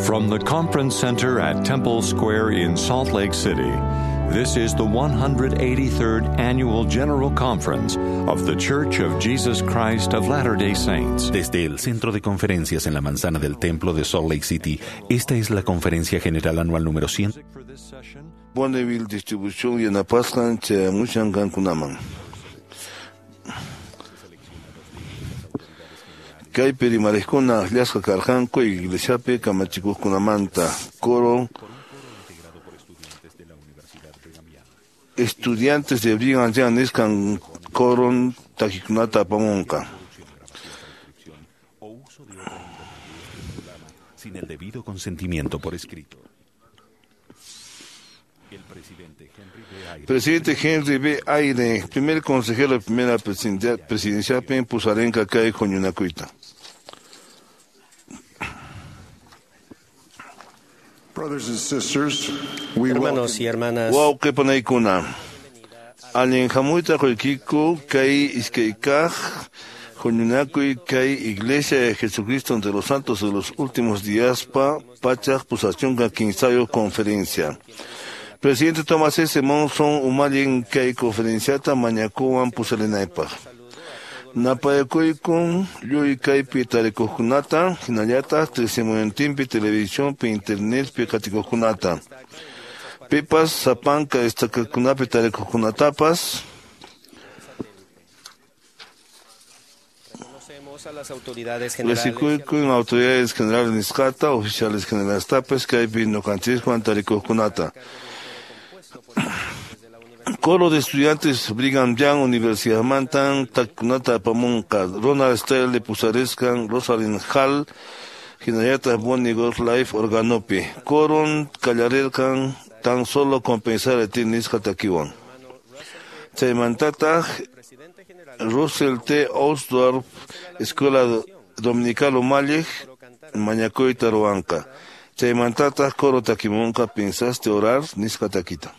From the Conference Center at Temple Square in Salt Lake City, this is the 183rd Annual General Conference of The Church of Jesus Christ of Latter-day Saints. Desde el Centro de Conferencias en la Manzana del Templo de Salt Lake City, esta es la Conferencia General Anual número 100. Bonneville Distribución yanapasqan chayamushan qankunaman. Kaypi rimariqkuna akllasqa karqanku iglesiapi kamachikuqkunamanta. Coro estudiantes de Brigham Young nisqan coron takikunata apamunqa. Sin el debido consentimiento por escrito. El presidente Henry B. Eyring. Presidente Henry B. Eyring, primer consejero de primera presidencia pusarenqa kay huñunakuyta. Brothers and sisters, we Hermanos y hermanas, Wawqi panaykuna, allin hamuyta quykiku kay iskaykaq huñunakuy kay Iglesia de Jesucristo de los Santos de los Últimos Días pa pachaq pusachunka kimsayuq conferencia. Presidente Thomas S. Monson umallin kay conferenciata mañakuwan pusarinaypaq. Napayakuykun lluy kaypi tarikuqkunata, hinallataq tisimuyantinpi televisionpi internetpi qatikuqkunata. Pipas sapanka estakakunapi tarikuqkunatapas. reconocemos a las autoridades generales. Risikuykun autoridades generales nisqata, oficiales generales tapes kaypi ñuqanchiswan tarikuqkunata. Coro de estudiantes Brigham Young Universidad Mantan, takikunata apamunqa, Ronald Stanley pusarisqan, Rosalind Hall, hinallataq Bonnie Life organopi. Coron qallarirqan tan solo compensar a ti nisqa takiwan. Chaymantataq Russell T. Osdorf, Escuela Dominical Umalliq, mañakuyta ruwanqa. Chaymantataq coro takimunqa pensaste orar nisqa takita.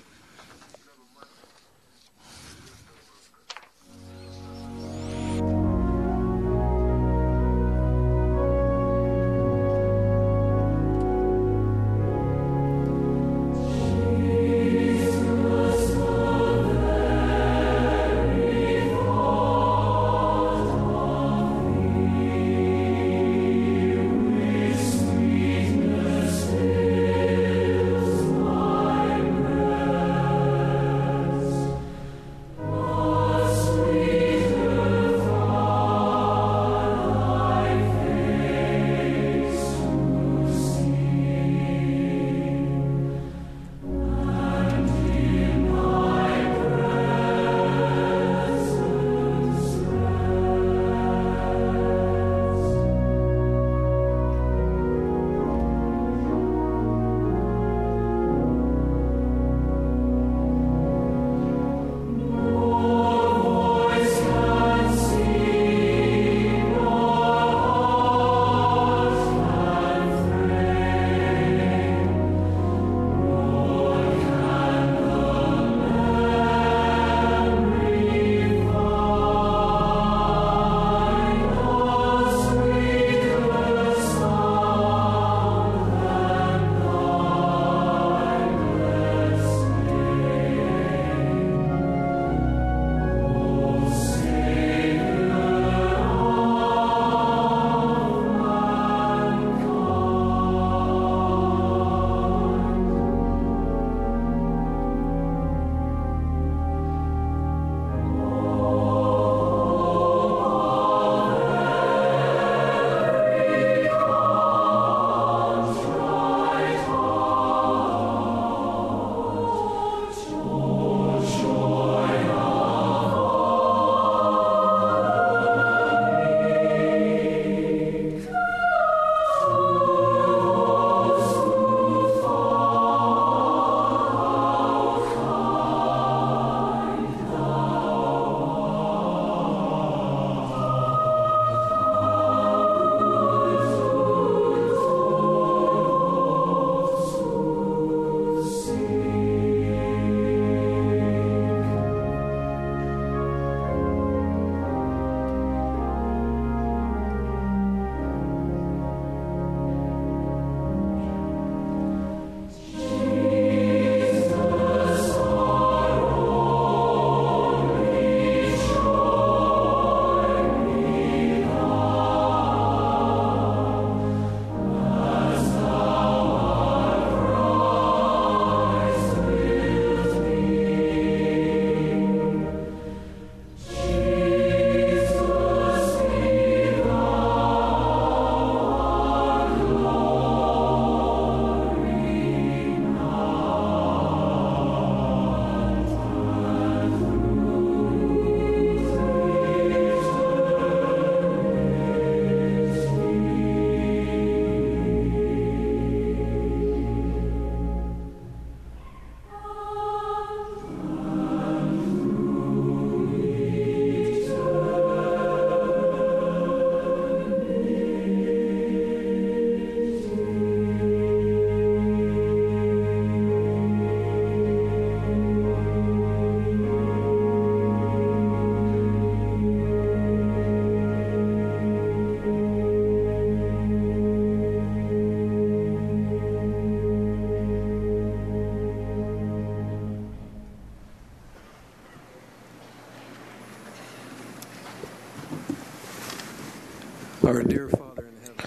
Our dear Father in heaven,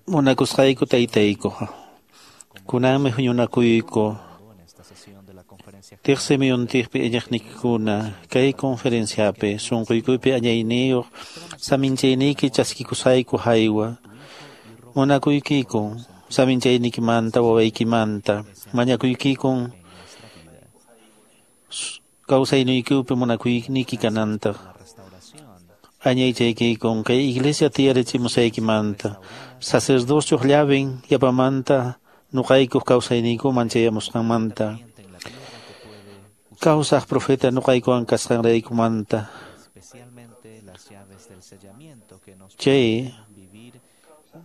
Munakusqayku taytayku, kunanmi huñunakuyku tiqsi muyuntiqpi iñiqniykikuna kay conferenciapi sunquykuypi añayniyuq saminchayniyki chaskikusqayku haywa. Munakuykikun saminchayniykimanta wawaykimanta mañakuykikun kawsayniykupi munakuyniyki kanantaq. Añaychaykikun kay iglesia tiyarichimusaykimanta sacerdocioq llaven yapamanta nuqaykuq kawsayniykuman chayamusqanmanta. Kawsaq profeta nuqaykuwan kasqanraykumanta. Chay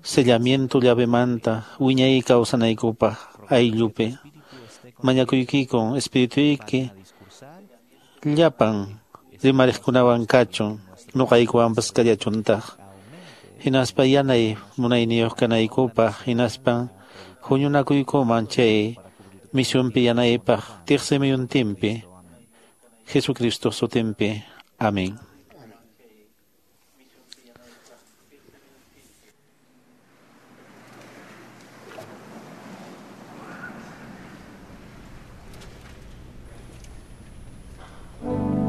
sellamiento llavemanta wiñay kawsanaykupaq ayllupi mañakuykikun espirituyki llapan rimariqkunawan kachun nuqaykuwanpas kallachuntaq. Hinaspa yanay munayniyuq kanaykupaq hinaspa huñunakuykuman chay misionpi yanaypaq tiqsi muyuntinpi Jesucristo sutinpi. Amén. Thank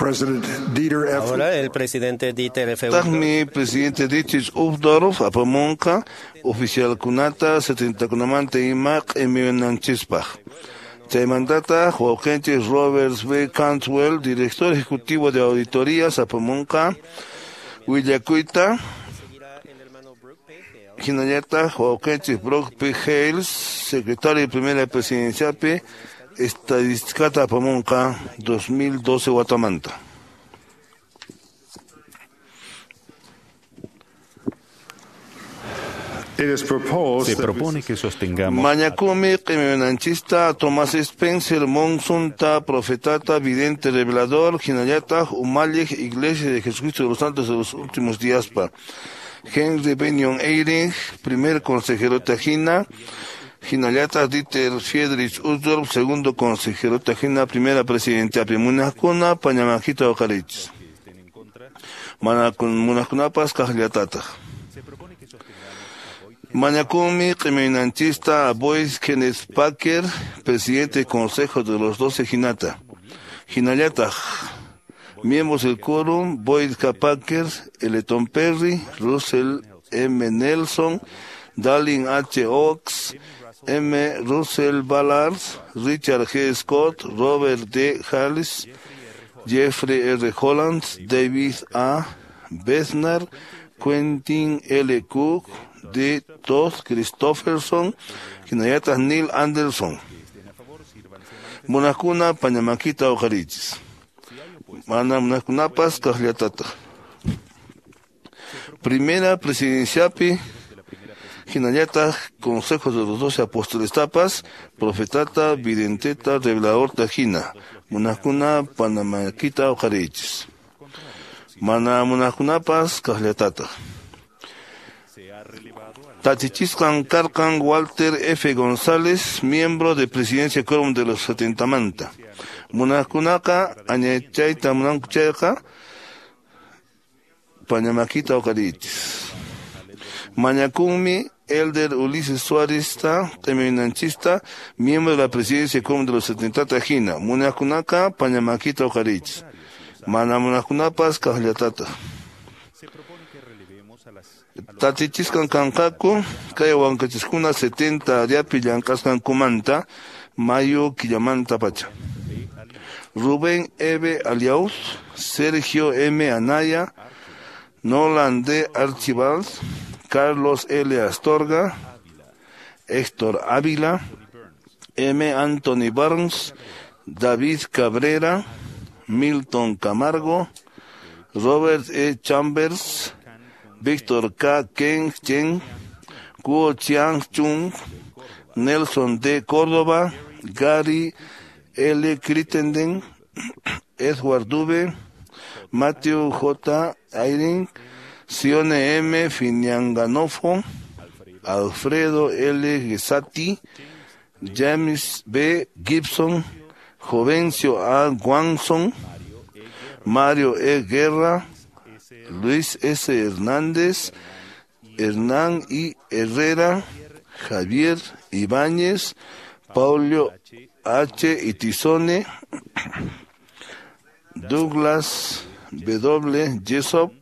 President Dieter F. Ahora el presidente Dieter F. Taqmi presidente Dietrich Uchtdorf apamunqa oficialkunata 70kunamanta ima q'imiyunanchispaq. Chaymantata wawqinchik Robert B. Cantwell, director ejecutivo de auditorías, apamunqa willakuyta. Hinallataq wawqinchik Brock P. Hales, secretario de primera presidenciapi, estadísticata apamunqa 2012 watamanta. It is proposed Se that we propone que sostengamos Mañakumi q'imiyunanchista Tomás Spencer Monsunta, profetata, vidente, revelador, hinallataq umalliq Iglesia de Jesucristo de los Santos de los Últimos Días pa. Henry Benyon Eyring, primer consejero tajina, hinallataq Dieter Friedrich Uchtdorf, segundo consejero tajina, primera presidenta, munaqkuna pañamakita uqarichis. Munaqkunapas kaqllatataq. Mañakumi q'imiyunanchista Boyd Kenneth Packer, presidente del Consejo de los Doce Hinata. Hinallataq, miembros del quórum, Boyd K. Packer, Eleton Perry, Russell M. Nelson, Dallin H. Oaks, M. Russell Ballard, Richard G. Scott, Robert D. Harris, Jeffrey R. Holland, David A. Besnar, Quentin L. Cook, D. Todd Christofferson, hinallataq Neil Anderson. Munaqkuna pañamakita uqarichis. Mana munaqkunapas kaqllatataq. Primera presidenciapi, hinallataq Consejo de los Doce Apóstoles tapas, profetata, videnteta, revelador tajina. Munaqkuna pañamakita uqarichis. Mana munaqkunapas kaqllatataq. Tachichisqan karqan Walter F. González, miembro de Presidencia Quórum de los 70 manta. Munaqkunaqa añachayta munanku chayqa pañamakita uqarichis. Mañakunmi Elder Ulises Suárez q'imiyunanchista, miembro de la Presidencia Quórum de los 70 tajina. Munaqkunaqa pañamakita uqarichis. Mana munaqkunapas kaqllatataq. Tatichisqan kanqaku kay wankachiskuna 70 ariapi llank'asqankumanta mayo killamanta pacha. Rubén E. Aliaus, Sergio M. Anaya, Nolan D. Archibald, Carlos L. Astorga, Héctor Ávila, M. Anthony Barnes, David Cabrera, Milton Camargo, Robert E. Chambers, Víctor K. Ken Chen, Kuo Chiang Chung, Nelson D. Córdoba, Gary L. Crittenden, Edward Dube, Matthew J. Ayrin, Sione M. Finianganofo, Alfredo L. Gesati, James B. Gibson, Jovencio A. Guanzon, Mario E. Guerra, Luis S. Hernández, Hernán I. Herrera, Javier Ibáñez, Paulo H. Itizone, Douglas W. Jessop,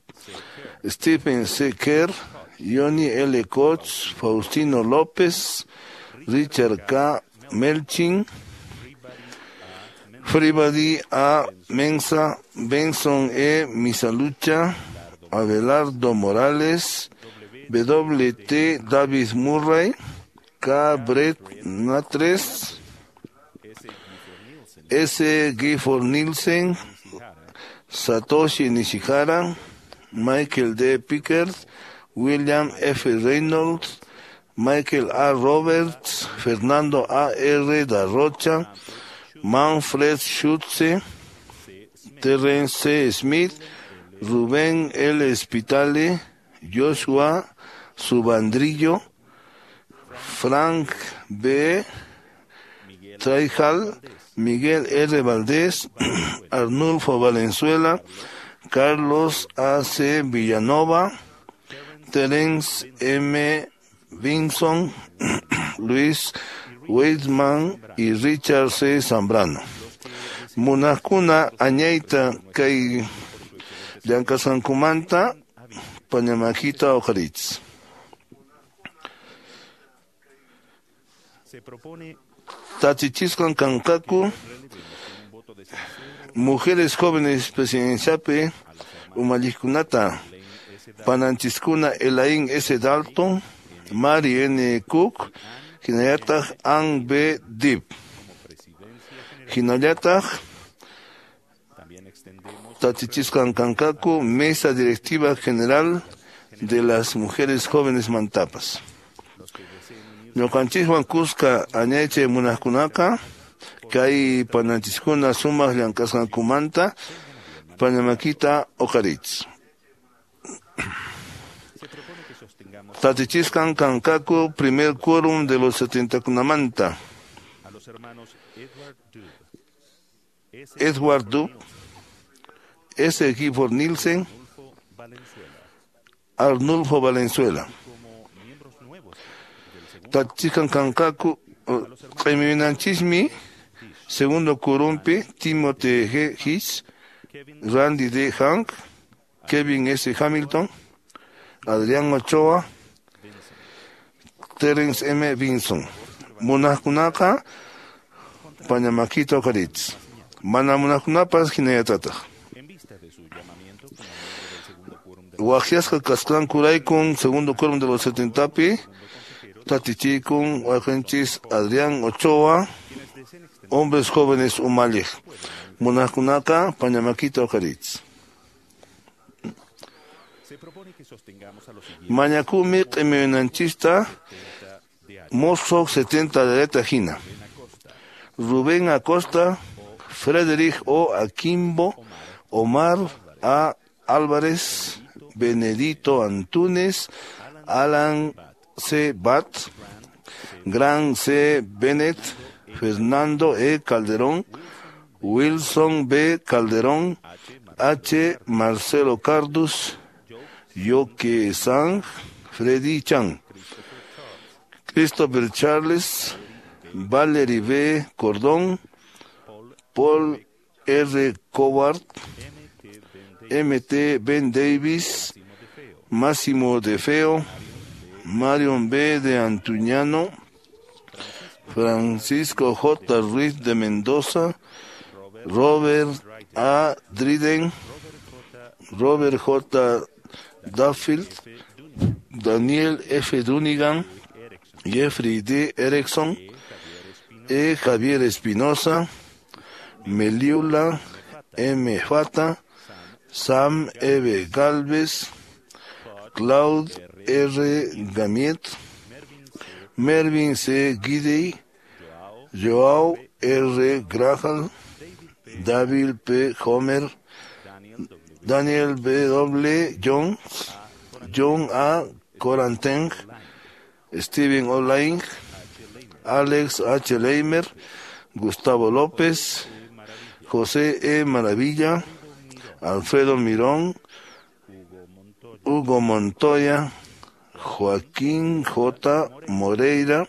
Stephen C. Kerr, Johnny L. Koch, Faustino López, Richard K. Melchin, Fribadi A. Mensa, Benson E. Misalucha, Abelardo Morales, W. T. David Murray, K. Brett Natres, S. Gifford Nielsen, Satoshi Nishihara, Michael D. Pickard, William F. Reynolds, Michael A. Roberts, Fernando A. R. Da Rocha, Manfred Schutze, Terence C. Smith, Rubén L. Spitale, Joshua Subandrillo, Frank B. Traijal, Miguel R. Valdés, Arnulfo Valenzuela, Carlos A. C. Villanova, Terence M. Vinson, Luis Weidman y Richard C. Zambrano. Munaqkuna añayta kay llank'asqankumanta pañamakita uqhariychis. Tachichisqan kanqaku mujeres jóvenes presidenciapi umalliqkunata pananchiskuna Elaine S. Dalton, Mary N. Cook, hinallataq Ann B. Deep. Hinallataq tachichisqan kanqaku Mesa Directiva General de las Mujeres Jóvenes Mantapas. Ñuqanchiswan kuska añaychay munaqkunaqa kay pananchiskuna sumaq llank'asqankumanta pañamakita uqhariychis. Tatichisqan kanqaku primer quórum de los 70kunamanta. Edward Dub, S. Gifford Nielsen, Arnulfo Valenzuela. Tatichisqan kanqaku q'imiminanchismi segundo quórumpi Timothy G. Hicks, Randy D. Hank, Kevin S. Hamilton, Adrián Ochoa, Terence M. Vinson. Munaqkunaqa pañamakita uqhariychis. Mana munaqkunapas hinallatataq. Waqyasqa kasqankuraykun segundo quórum de los 70pi tatichiykun wayqinchis Adrián Ochoa, hombres jóvenes umalliq. Munaqkunaqa pañamakita uqhariychis. Mañakumi q'imiwinanchista mozo 70 dereta hina. Rubén Acosta, Frederick O. Aquimbo, Omar A. Álvarez, Benedito Antunes, Alan C. Bat, Gran C. Bennett, Fernando E. Calderón, Wilson B. Calderón, H. Marcelo Cardus, Yoke Sang, Freddy Chan, Christopher Charles, Valerie B. Cordón, Paul R. Coward, M. T. Ben Davis, Máximo De Feo, Marion B. de Antuñano, Francisco J. Ruiz de Mendoza, Robert A. Dryden, Robert J. Duffield, Daniel F. Dunigan, Jeffrey D. Erickson, E. Javier Espinosa, Meliula M. Fata, Sam E. Galvez, Claude R. Gamiet, Mervyn C. Gidey, Joao R. Grajal, David P. Homer, Daniel B. W. Jones, John A. Koranteng, Steven O'Lain, Alex H. Leimer, Gustavo López, José E. Maravilla, Alfredo Mirón, Hugo Montoya, Joaquín J. Moreira,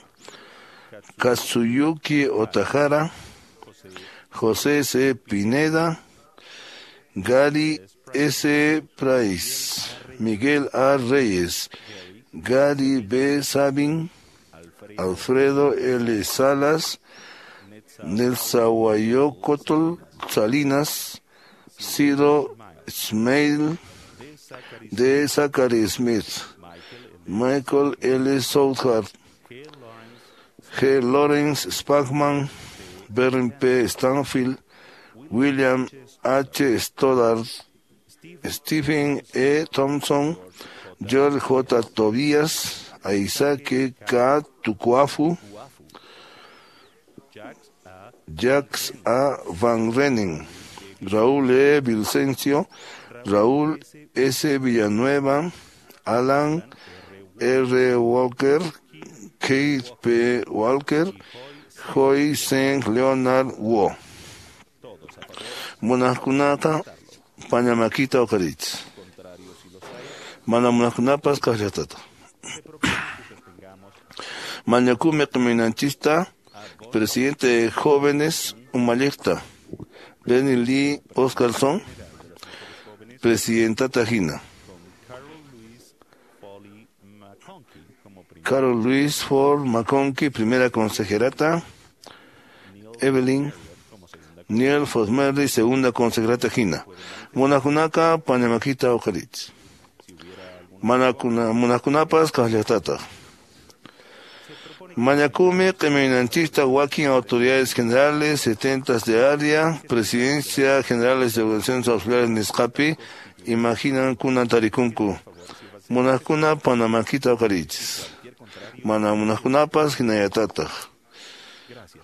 Katsuyuki Otajara, José C. Pineda, Gary S. Price, Miguel A. Reyes, Gary B. Sabin, Alfredo L. Salas, Nelsahuayocotl Salinas, Ciro Smail, D. Zachary Smith, Michael L. Southard, G. Lawrence Spachman, Berrin P. Stanfield, William H. Stoddard, Stephen E. Thompson, George J. Tobias, Isaac K. Tukuafu, Jacques A. Van Renen, Raúl E. Vicencio, Raúl S. Villanueva, Alan R. Walker, Keith P. Walker, Joy St. Leonard Wo. Munaqkunata pañamakita uqhariychis. Mana munaqkunapas kaqllatata. Mañakumi q'iminanchista, presidente de jóvenes umalliqta, Bernie Lee Oscarson, presidentata hina. Carol Luis Ford McConkie, primera consejerata. Evelyn Neil Fosmerly, segunda consejerata hina. Munakunaka pañamakita uqarit. Munakunapas kaqllatata. Mañakumi q'imaynanchikta wakin autoridades generales, setentas de área, presidencia generales de organizaciones auxiliares nisqapi, imaginan kunan tarikunku. Munakuna panamakita uqarichis. Mana munaqkunapas hinallatataq.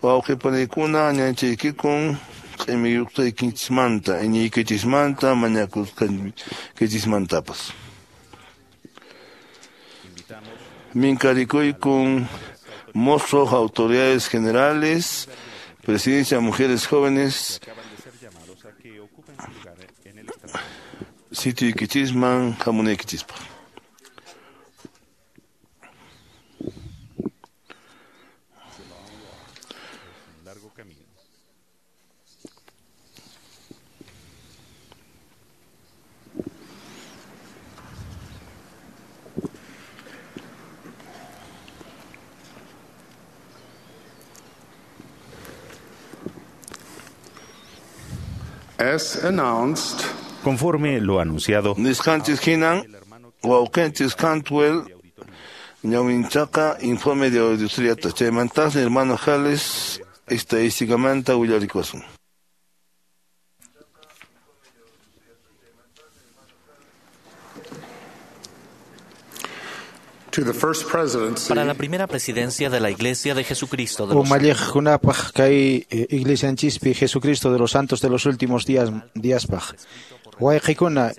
Wawqipanikuna añanchaykikun q'imiyuqtaykichismanta, iñiykichismanta, mañakusqaykichismantapas. Minkarikuykun mozos, autoridades generales, presidencia de mujeres jóvenes, sitioykichisman, hamunaykichispa. As announced, Conforme lo anunciado, Nisqanchis hinan, wawqinchis Cantwell, ñawinchaqa informe de auditoría chaymantaqmi hermano Jales estadísticamanta willarikusun. to the first presidency, Para la primera presidencia de la Iglesia de Jesucristo de los Umalliqkunapaq kay iglesianchispi Jesucristo de los Santos de los Últimos Días díaspaq. Wayqikuna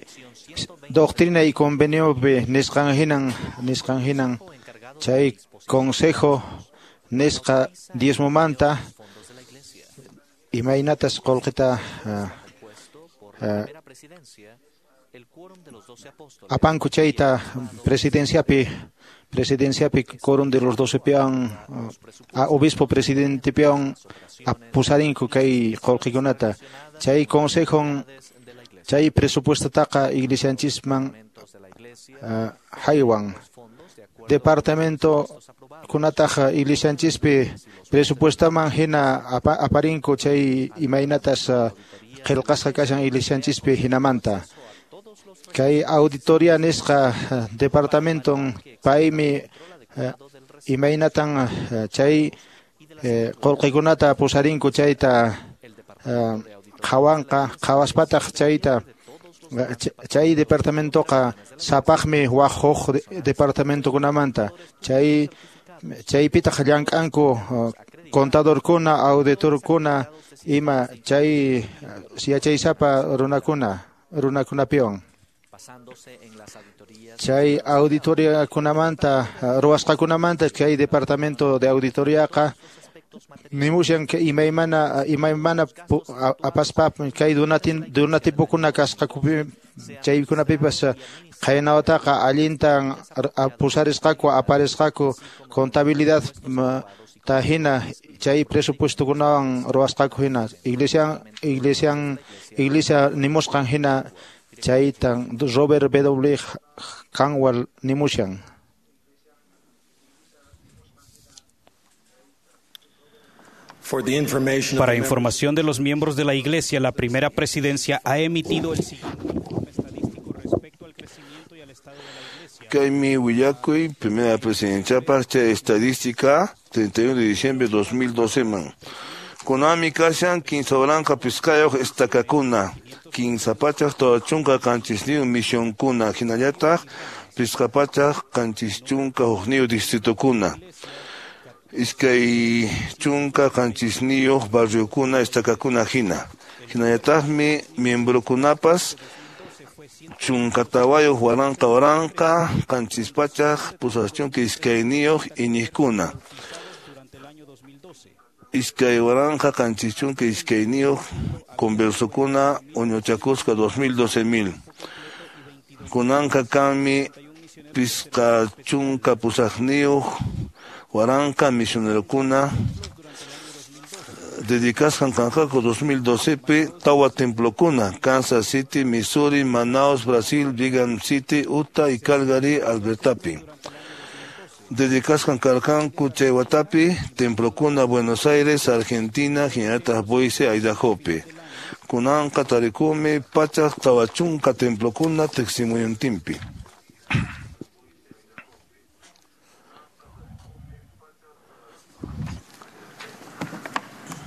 doctrina y conveniopi nisqan hinan chay consejo nisqa diezmomanta imaynatas qullqita apanku chayta presidenciapi quórum de los doce pian a obispo presidente pian apusarinku kay qullqikunata chay consejon chay presupuestotaqa iglesianchisman haywan departamento kunataqa iglesianchispi presupuestaman hina aparinku chay imaynatas qillqasqa kashan iglesianchispi hinamanta. Kay auditoría nisqa departamenton paymi imaynatan chay qullqikunata pusarinku chayta qhawanqa qhawaspataq chayta chay departamentoqa sapaqmi waq huk departamentokunamanta chay chaypitaq llank'anku contadorkuna auditorkuna ima chay yachaysapa runakunapiwan. Chay auditoriakunamanta ruwasqakunamanta chay departamento de auditoriaqa nimushan imaymana apaspa kay donatipukuna kasqakupi chaykunapipas qhaynawataqa allintan pusarisqaku aparisqaku contabilidad ta hina chay presupuestokunawan ruwasqaku hina iglesia nimusqan hina chaytan Robert W. Canwell nimushan. Para información de los miembros de la Iglesia, la primera presidencia ha emitido el siguiente informe estadístico respecto al crecimiento y al estado de la Iglesia. Kaymi willakuy, primera presidenciapaq chay estadística, 31 de diciembre de 2012 man. Kunami kashan 15 piskayuq estakakuna, 347 misionkuna, hinallataq 571 distritokuna. 27 barriokuna estakakuna hina. Hinallataqmi miembrokunapas 14 waranqa 782 iñiqkuna. 2072 conversokuna uñuchakusqa 2012,000. Kunanqa kanmi 58,000 misionerokuna Dedicasqan kanqaku 2012pi tawa templokuna Kansas City, Missouri, Manaus, Brasil, Brigham City, Utah y Calgary, Albertapi. Dedicasqan karqanku chay watapi templokuna Buenos Aires, Argentina, hinallataq Boise, Idahopi. Kunanqa tarikumi 140 templokuna tiqsimuyuntinpi.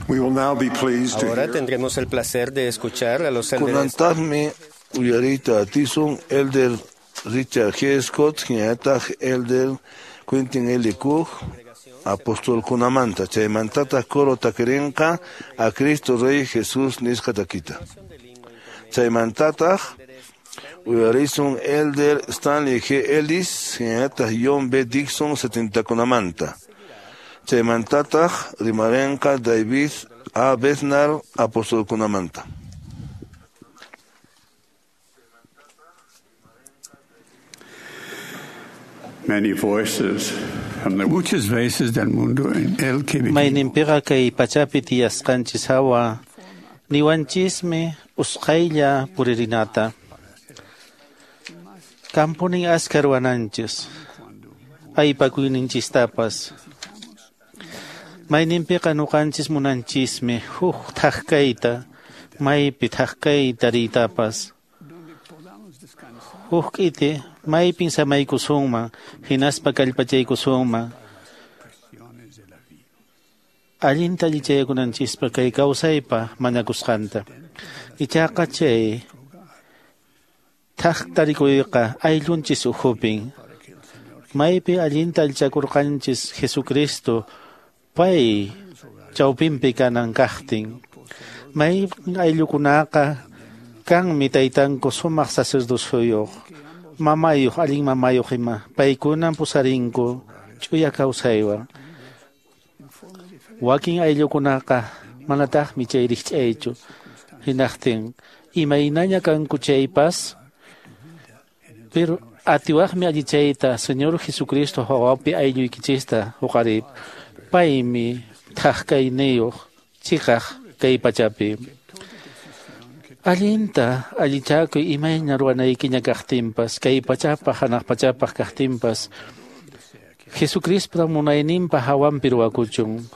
We will now be pleased to Ahora hear tendremos el placer de escuchar a los élderes Kunantaqmi uyariyta atisun Elder Richard G. Scott hinallataq Elder Quentin L. Cook apostolkunamanta chaymantataq coro takirinqa a Cristo Rey Jesús nisqa takita. Chaymantataq uyarisun Elder Stanley G. Ellis hinallataq John B. Dixon 70kunamanta. Chaymantataq rimarinqa David A. Bednar apostolkunamanta. many voices from the Muchas veces del mundo en el que vivimos Mayninpiqa kay pachapi tiyasqanchis hawa niwanchismi usqhaylla puririnata. Kampunin askha ruwananchis, aypakuyninchistapas. Mayninpiqa ñuqanchis munanchismi huk thak kayta, maypi thak kay tariytapas. Huk k'iti maypin samaykusunman, hinaspa kallpachaykusunman. Allinta allichayakunanchispa kay kawsaypa mañakusqanta. Ichaqa chay thak tarikuyqa ayllunchis ukhupin. Maypi allinta allichakurqanchis Jesucristo pay chawpinpi kanan kaqtin. May ayllukunaqa kanmi taytanku sumaq sacerdocioyuq, mamayuq, allin mamayuq ima. Paykunan pusarinku ch'uya kawsaywan. Wakin ayllukunaqa manataqmi chay rikch'aychu. Hinaqtin imaynaña kanku chaypas, pero atiwaqmi allichayta Señor Jesucristo hawapi aylluykichista huqarip. Paymi thak kayniyuq chiqaq kay pachapi. Allinta allichakuy imayna ruwanaykiña kaqtinpas, kay pachapaq hanaq pachapaq kaqtinpas, Jesucristo munayninpa hawanpi ruwakuchun.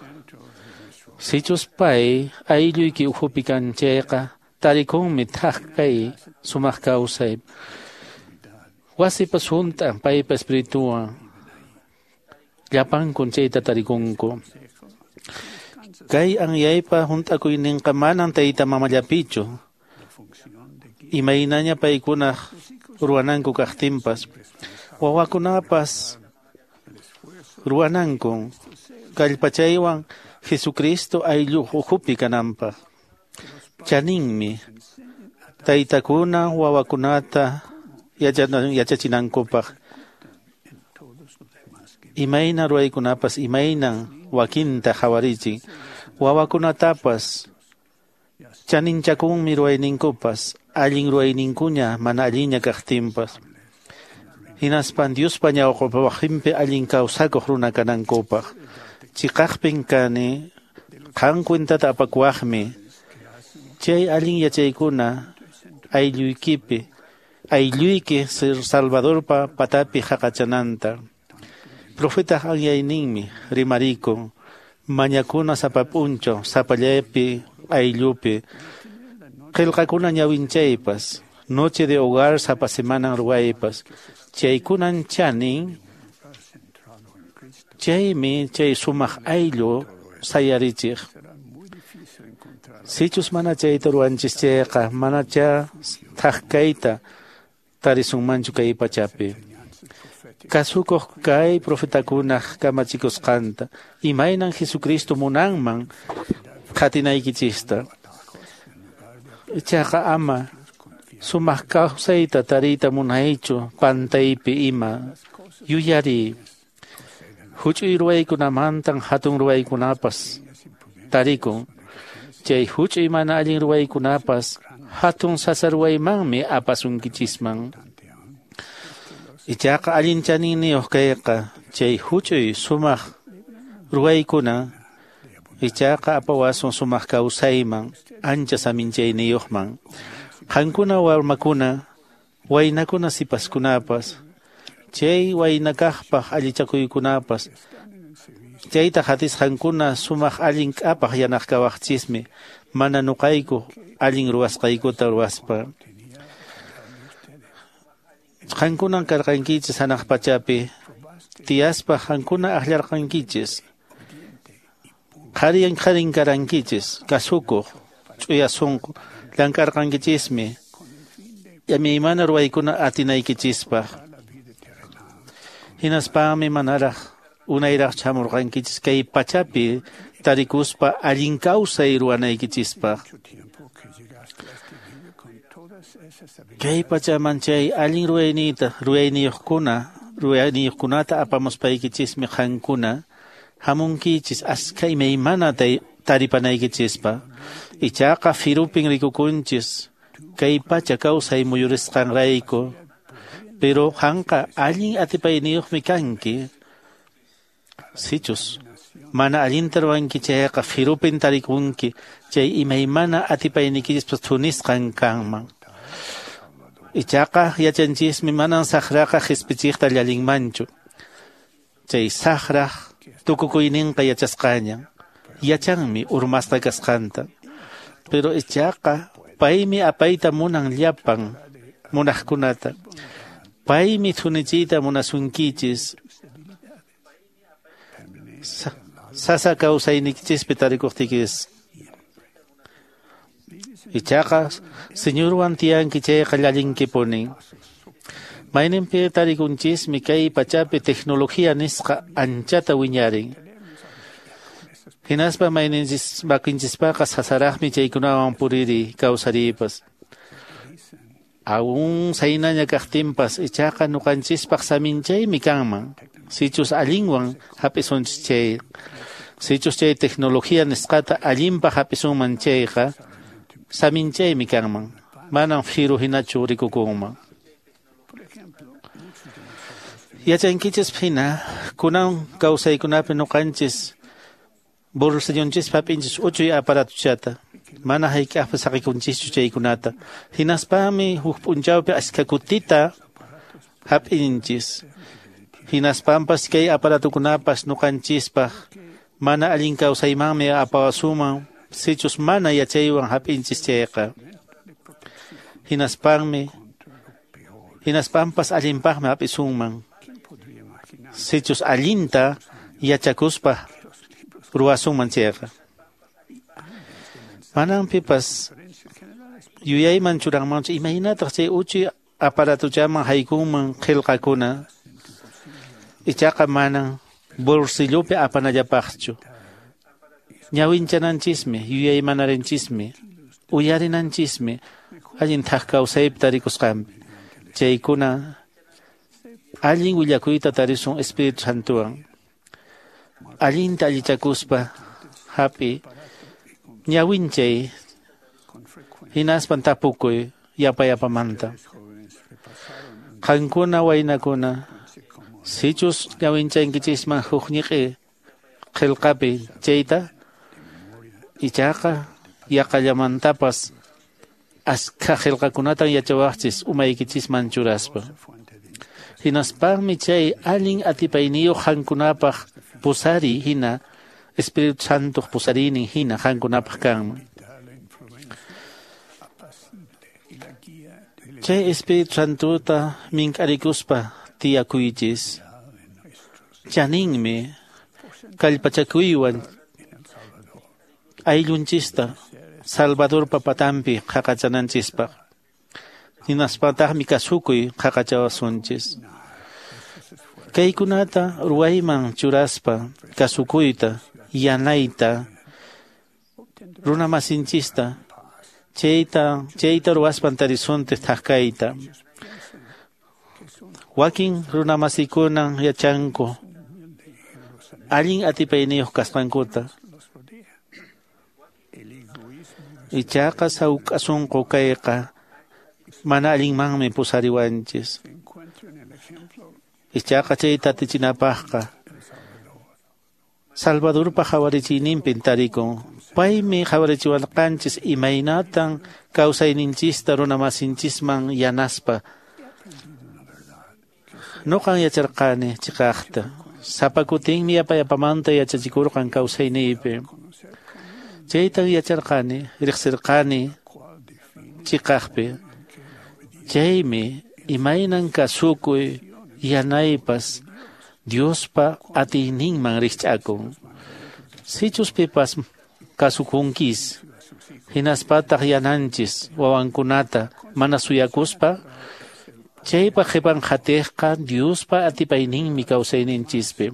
Sichus pay aylluyki ukhupi kan chayqa, tarikunmi thak kay sumaq kawsay. Wasipas hunt'an paypa espirituwan. Llapankun chayta tarikunku. Kay anyaypa hunt'akuyninqa manan tayta mamallapichu. Imaynaña paykunaq ruwananku kaqtinpas, wawakunapas ruwanankun kallpachaywan Jesucristo ayllu ukhupi kananpaq. Chaninmi taytakuna wawakunata yachachinankupaq. Imayna ruwaykunapas imaynan wakinta qhawarichin. Wawakunatapas chaninchakunmi ruwayninkupas, allin ruwayninkuña mana allinña kaqtinpas. Hinaspan Diospa ñawpaqinpi allin kawsakuq runa kanankupaq. Chiqaqpin kani qan cuentata apakuwaqmi. Chay allin yachaykuna aylluykipi, aylluyki Salvadorpa patapi haqachananta. Profetaq anyayninmi rimarikun, mañakuna sapa p'unchaw, sapallapi, ayllupi. Qillqakuna ñawinchaypas, noche de hogar sapa semanan ruwaypas. Chaykunan chanin, chaymi chay sumaq ayllu sayarichiq. Sichus mana chayta ruwanchis chayqa, manacha thak kayta tarisunmanchu kay pachapi. Kasukuq kay profetakunaq kamachikusqanta, imaynan Jesucristo munanman qatinaykichista. Ichaqa ama sumaq kawsayta tariyta munaychu pantaypi ima. Yuyariy, huch'uy ruwaykunamantan hatun ruwaykunapas tarikun. Chay huch'uy mana allin ruwaykunapas hatun sasa ruwaymanmi apasunkichisman. Ichaqa allin chaninniyuq kayqa chay huch'uy sumaq ruwaykuna Ichaqa apawasun sumaq kawsayman, ancha saminchayniyuqman. Qankuna warmakuna, waynakuna sipaskunapas, chay waynakaqpaq allichakuykunapas, chayta hatisqankuna sumaq allin k'apaq yanaqkawaqchismi, mana nuqayku allin ruwasqaykuta ruwaspa. Qankunan karqankichis hanaq pachapi, tiyaspa qankuna akllarqankichis. Qharin qharin karankichis, kasukuq, ch'uya sunqu, llank'arqankichismi, imaymana ruwaykuna atinaykichispaq. Hinaspami manaraq unayraq chamurqankichis kay pachapi tarikuspa allin kawsay ruwanaykichispaq. Kay pachaman chay allin ruwayniyta ruwayniyuqkunata apamuspaykichismi qankuna hamunkichis askha imaymana taripanaykichispa. Ichaqa firupin rikukunchis kay pacha kawsay muyurisqanrayku, pero qanqa allin atipayniyuqmi kanki. Sichus mana allinta ruwanki chayqa firupin tarikunki chay imaymana atipayniykichispas thunisqan kanman. Ichaqa yachanchismi manan saqraqa qispichiqta llallinmanchu. Chay saqraq tukukuyninqa yachasqañan, yachanmi urmasqa kasqanta. Pero ichaqa paymi apayta munan llapan munaqkunata. Paymi thunichiyta munasunkichis. Sasa kawsaynikichispi tarikuqtikis. Ichaqa Señorwan tiyanki chayqa llallinkipunin. Mayninpi tarikunchismi kay pachapi tecnología nisqa anchata wiñarin. Hinaspa mayninchis makinchispaqa sasaraqmi chaykunawan puriri kawsariypas. Aún saynaña kaqtinpas ichaqa ñuqanchispaq saminchaymi kanman. Sichus allinwan hap'isunchis chay, sichus chay tecnología nisqata allinpaq hap'isunman chayqa saminchaymi kanman. Manan firu hinachu rikukunman. Yachankichis hina kunan kawsaykunapi ñuqanchis bolsillonchispi hap'inchis uchuy aparatuchata, mana hayk'aqpas saqikunchischu chaykunata. Hinaspami huk p'unchawpi askha kutita hap'inchis. Hinaspampas kay aparatukunapas ñuqanchispaq mana allin kawsaymanmi apawasuman sichus mana yachaywan hap'inchis chayqa. Hinaspampas allinpaqmi hap'isunman sichus allinta yachakuspa ruwasunman chayqa. Manan pipas yuyayman churanmanchu imaynataq chay uchuy aparatuchaman haykunman qillqakuna. Ichaqa manan bolsillopi apanallapaqchu. Ñawinchananchismi, yuyaymanarenchismi, uyarinanchismi allin thak kawsaypi tarikusqanpi. Chaykuna allin willakuyta tarisun Espíritu Santowan. Allinta allichakuspa hap'i ñawinchay hinaspan tapukuy yapa yapamanta. Qankuna waynakuna sichus ñawinchankichisman huk ñiq'i qillqapi chayta ichaqa yaqallamantapas askha qillqakunatan yachawaqchis umaykichisman churaspa. Hinaspaqmi chay allin atipayniyuq qankunapaq pusari hina Espíritu Santoq pusariynin hina qankunapaq kanman. Chay Espíritu Santota mink'arikuspa tiyakuychis. Chaninmi kallpachakuywan ayllunchista Salvadorpa patanpi qhaqachananchispaq. Hinaspataqmi kasukuy qhaqachawasunchis. Kaykunata ruwayman churaspa kasukuyta, yanayta, runamasinchista, chayta ruwaspan tarisunchis thak kayta. Wakin runamasikunan yachanku allin atipayniyuq kasqankuta. Ichaqa sawk'a sunqu kayqa mana allinmanmi pusariwanchis. Ichaqa chayta atichinapaqqa Salvadorpa qhawarichiyninpin tarikun. Paymi qhawarichiwarqanchis imaynatan kawsayninchista runamasinchisman yanaspa. Nuqan yacharqani chiqaqta. Sapa kutinmi yapayapamanta yachachikurqan kawsayniypi. Chaytan yacharqani, riqsirqani chiqaqpi. Chaymi imaynan kasukuy yanaypas Diospa atiyninman rikch'akun. Sichus pipas kasukunkis, hinaspataq yananchis wawankunata mana suyakuspa, chaypa qhipan qhatiqqa Diospa atipayninmi kawsayninchispi.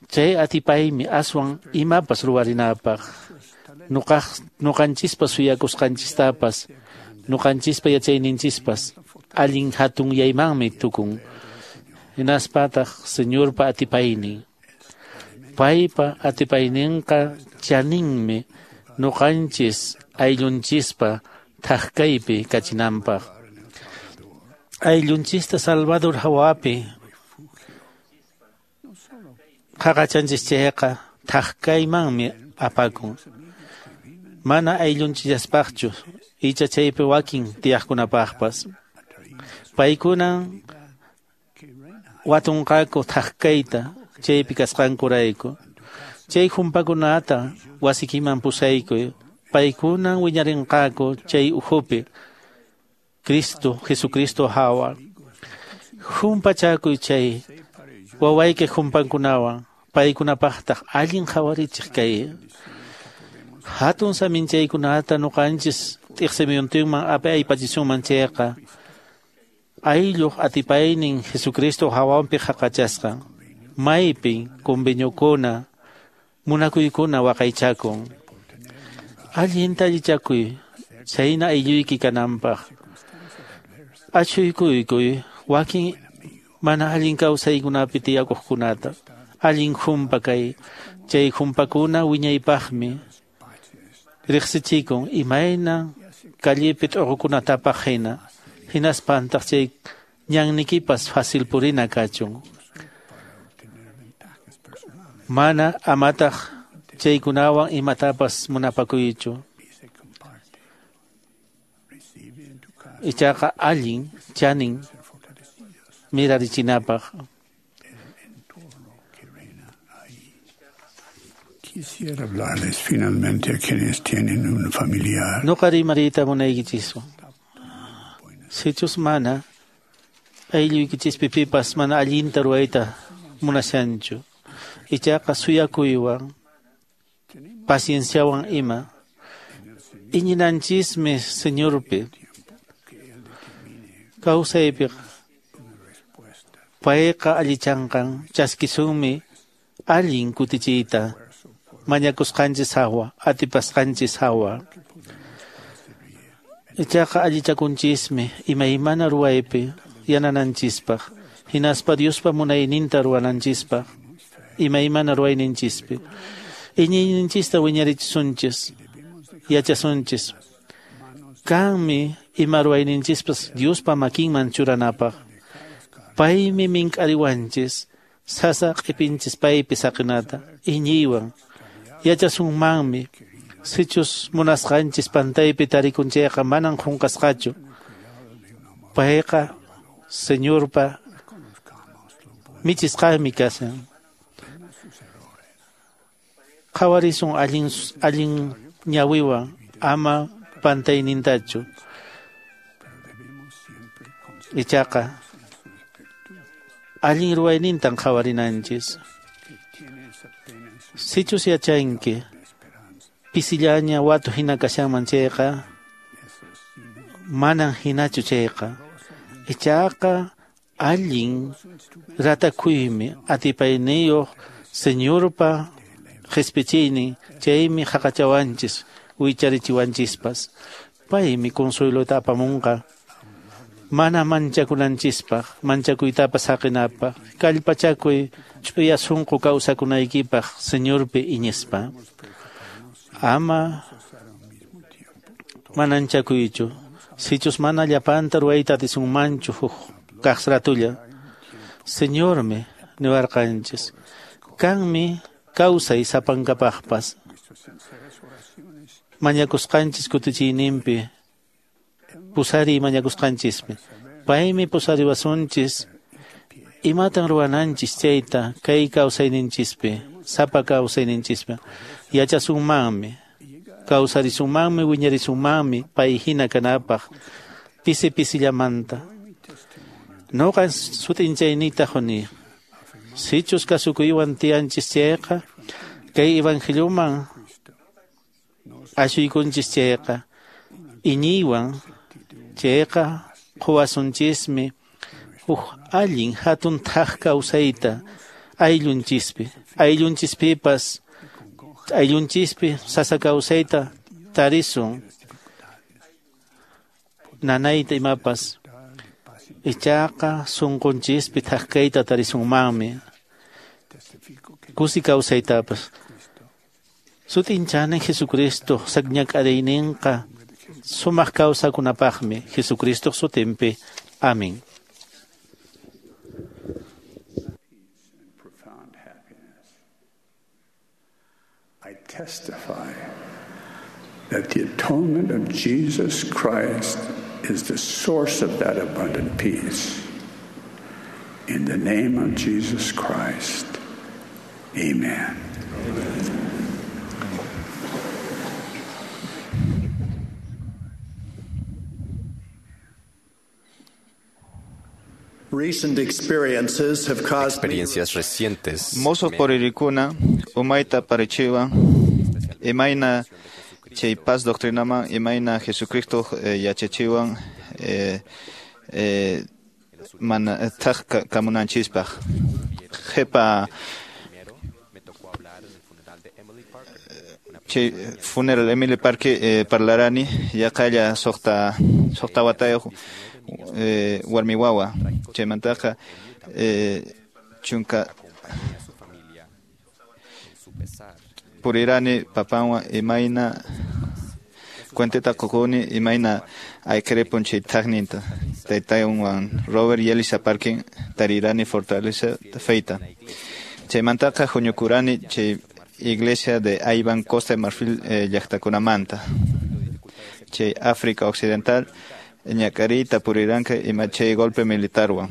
Chay atipaymi aswan imapas ruwarinapaq. Nuqanchispa suyakusqanchistapas, nuqanchispa yachayninchispas allin hatunyaymanmi tukun. Hinaspataq Señorpa atipaynin. Paypa atipayninqa chaninmi nuqanchis ayllunchispa thaqkaypi kachinanpaq. Ayllunchista Salvador hawapi qhaqachanchis chayqa thaqkaymanmi apakun. Mana ayllunchillaspaqchu icha chaypi wakin tiyaqkunapaqpas. Paykunan watunqaku thaqkayta chaypi kasqankurayku. Chay humpakunata wasikiman pusaykuy. Paykunan wiñarinqaku chay ukhupi Cristo, Jesucristo hawa. Humpachakuy chay wawayki humpankunawan paykunapaqtaq allin qhawarichiq kay. Hatun saminchaykunata nuqanchis t'iqsimiyuntinman aypachisunman chayqa aylluq atipaynin Jesucristo hawanpi qhaqachasqa. Maypin conveniokuna munakuykuna waqaychakun. Allinta allichakuy chayna aylluyki kananpaq. Achuykuykuy wakin mana allin kawsaykunapi tiyakuqkunata. Allin humpa kay. Chay humpakuna wiñaypaqmi riqsichikun imayna callepi t'uqukunatapaq hina. Hinaspantaq chay ñannikipas fácil purina kachun. Mana amataq chaykunawan imatapas munapakuychu. Ichaqa allin chanin mirarichinapaq. Quisiera hablarles finalmente a quienes tienen un familiar. Nuqa rimariyta munaykichiswan. Sichus mana aylluykichispi pipas mana allinta ruwayta munashanchu. Ichaqa suyakuywan, pacienciawan ima. Iñinanchismi Señorpi. Kawsaypiqa payqa allichanqan chaskisunmi allin kutichiyta mañakusqanchis hawa, atipasqanchis hawa. Ichaqa allichakunchismi imaymana ruwaypi yanananchispaq, hinaspa Diospa munayninta ruwananchispaq, imaymana ruwayninchispi. Iñiyninchista wiñarichisunchis, yachasunchis. Kanmi ima ruwayninchispas Diospa makinman churanapaq. Paymi mink'ariwanchis, sasa q'ipinchis paypi saqinata, iñiywan. Yachasunmanmi, sichus munasqanchis pantaypi tarikunchayqa manan qunqasqachu. Payqa Señorpa michisqanmi kashan. Qhawarisun allin ñawiwan ama pantaynintachu. Ichaqa allin ruwaynintan qhawarinanchis. Sichus yachanki pisillaña watu hina kashanman chayqa manan hinachu chayqa. Ichaqa allin ratakuymi atipayniyuq Señorpa qhispichiynin chaymi haqachawanchis wicharichiwanchispas. Paymi consuelota apamunqa mana manchakunanchispaq, manchakuytapas haqinapaq. Kallpachakuy ch'uya sunqu kawsakunaykipaq Señorpi iñispa. Ama mananchakuychu. Sichus mana llapanta ruwayta atisunmanchu huk kaq ratulla. Señormi niwarqanchis. Kanmi kawsay sapankapaqpas. Mañakusqanchis kutichiyninpi, pusariy mañakusqanchispi. Paymi pusariwasunchis imatan ruwananchis chayta kay kawsayninchispi, sapa kawsayninchispi. Yachasunmanmi, kawsarisunmanmi, wiñarisunmanmi pay hina kanapaq pisi pisillamanta. Noqa sut'inchaynita quni. Sichus kasukuywan tiyanchis chayqa, kay evangelioman ashuykunchis chayqa, iñiywan chayqa quwasunchismi huk allin hatun thaq kawsayta ayllunchispi, ayllunchispipas, ayllunchispi sasa kawsayta tarisun, nanayta imapas. Ichaqa sunqunchispi thaq kayta tarisunmanmi, kusi kawsaytapas. Sut'inchani Jesucristo sakñak'ariyninqa sumaq kawsakunapaqmi Jesucristo sutinpi. Amén. Profound happiness. I testify that the atonement of Jesus Christ is the source of that abundant peace. In the name of Jesus Christ, amen. Amen. Recent experiences have caused Experiencias recientes. Mozo poririkuna, umayta parichiwa, imayna chay paz doctrinaman, imayna Jesucristo yachachiwan, mana thaq kamunanchispaq. Qhipa chay funeral Emily Parker parlarani yaqalla suqta watayuq warmi wawa chaymantaqa chunka purirani papanwan imayna cuenteta qukuni imayna ayqiripun chay thaqninta taytaywan Robert y Elisa Parkin tarirani fortaleza feita chaymantaqa huñukurani chay iglesia de Ivan Costa de Marfil llaqtakunamanta chay África Occidental ñak'ariyta puriranqa ima chay golpe militarwan.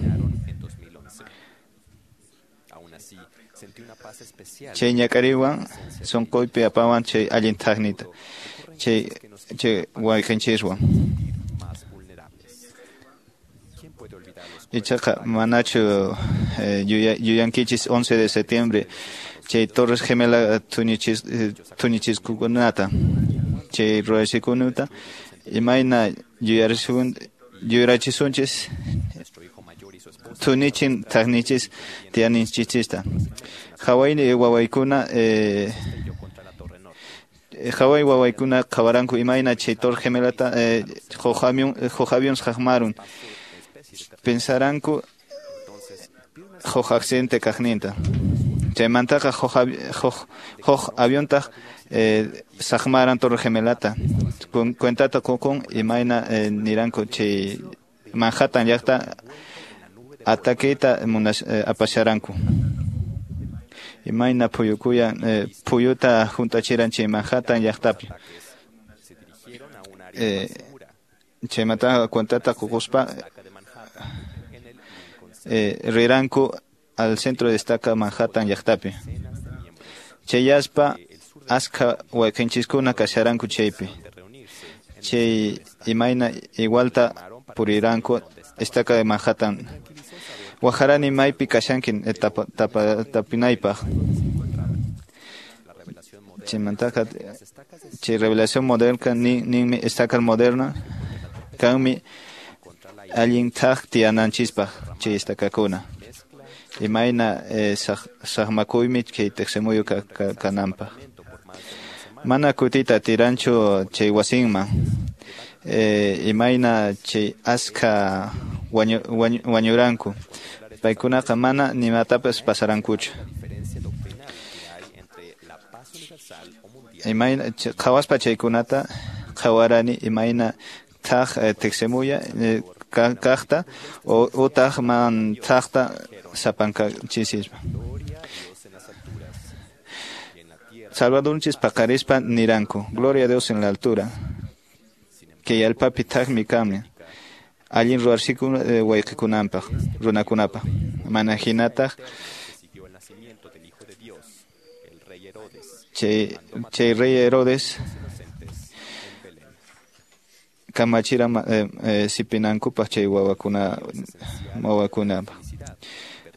Chay ñak'ariywan sunquypi apawan chay allin thaqnita chay wayqinchiswan. Ichaqa manachu yuyankichis 11 de septiembre chay Torres Gemela tuñichiskukunata chay ruraysikunata imayna yuyarachisunchis tunichin thaqnichis tiyaninchichista. Hawai wawaykuna qhawaranku imayna chay Torre Gemelata huk avión haqmarun pensaranku huk accidente kaqninta. Chaymantaqa huk aviontaq saqmaran Torre Gemelata cuentata qukun imayna niranku chay Manhattan llaqta ataqueta apasharanku. Imayna phuyukuyan phuyuta juntachiran chay Manhattan llaqtapi. Chaymantaqa cuentata qukuspa riranku al centro de estaca Manhattan llaqtapi. Chayaspa askha wayqinchiskuna kasharanku chaypi. Chay imayna igualta puriranku estaca de Manhattan. Wajarani maypi kashankin tapinaypaq. Chaymantaqa chay revelación moderna ninmi estaca moderna kanmi allin thaq tiyananchispaq chay estacakuna. Imayna saqmakuymi chay tiqsimuyu kananpaq. Mana kutita tiranchu chay wasinman. Imayna chay askha wañuranku. Paykunaqa mana nimatapas pasarankuchu. Imayna qhawaspa chaykunata qhawarani imayna thaq tiqsimuya kaqta utaq man thaqta sapankanchispa. Salvadorunchis paqarispa niranku, gloria a Dios en la altura, kay allpapi thaqmi kanmi, allin ruwarsikun wayqikunanpaq, runakunapaq, mana hinataq chay rey Herodes kamachira sipinankupaq chay wawakunapaq.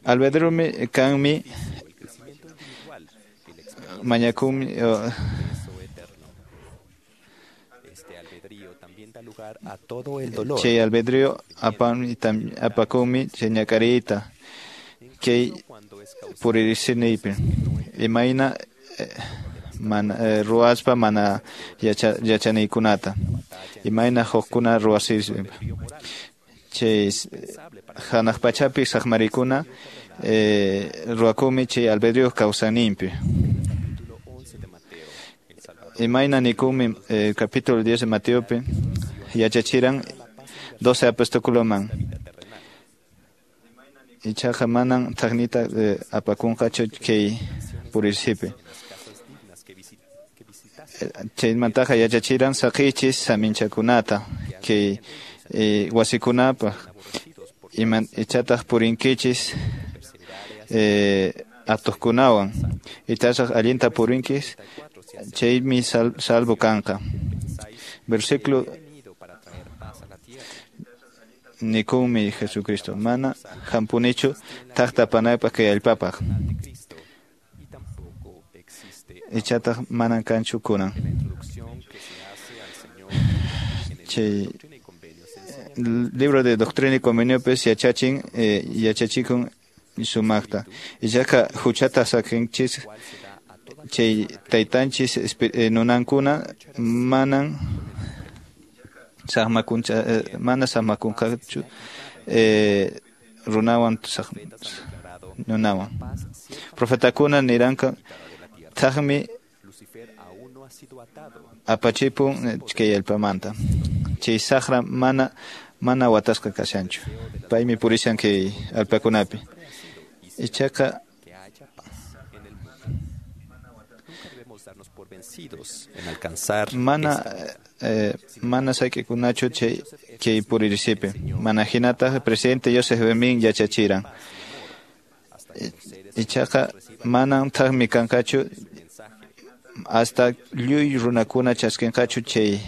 Albedrumi kanmi mañakumi chay albedrío apakumi chay ñak'ariyta kay puririsinipi imayna mana ruwaspa mana yachaniykunata imayna hukkuna ruwasispa chay hanaq pachapi saqmarikuna ruwakumi chay albedrío kawsayninpi. Imayna nikumi capítulo 10 de Mateopi yachachiran 12 apóstoles ichaqa manan thaqnita apakunqachu kay purisipi. Chaymantaqa yachachiran saqiychis saminchakunata kay wasikunapaq ichataq purinkichis atuqkunawan ichasaq allinta purinkis chaymi salvo kanqa. Versículo nikumi Jesucristo mana hampunichu thaqta panaypaq kay allpapaq ichataq manan kanchu kunan. Chay libro de Doctrina y Conveniopis yachachin yachachikun sumaqta ichaqa huchata saqinchis chay taytanchis nunankuna manan mana saqmakunqachu runawan nunawan. Profetakuna niranqa thaqmi apachipun kay allpamanta chay saqra mana watasqa kashanchu paymi purishan kay allpakunapi ichaqa mana sayk'ikunachu chay kay puririsipi mana hinataq presidente Joseph Bemin yachachiran ichaqa manan thaqmi kanqachu hasta lluy runakuna chaskinqachu chay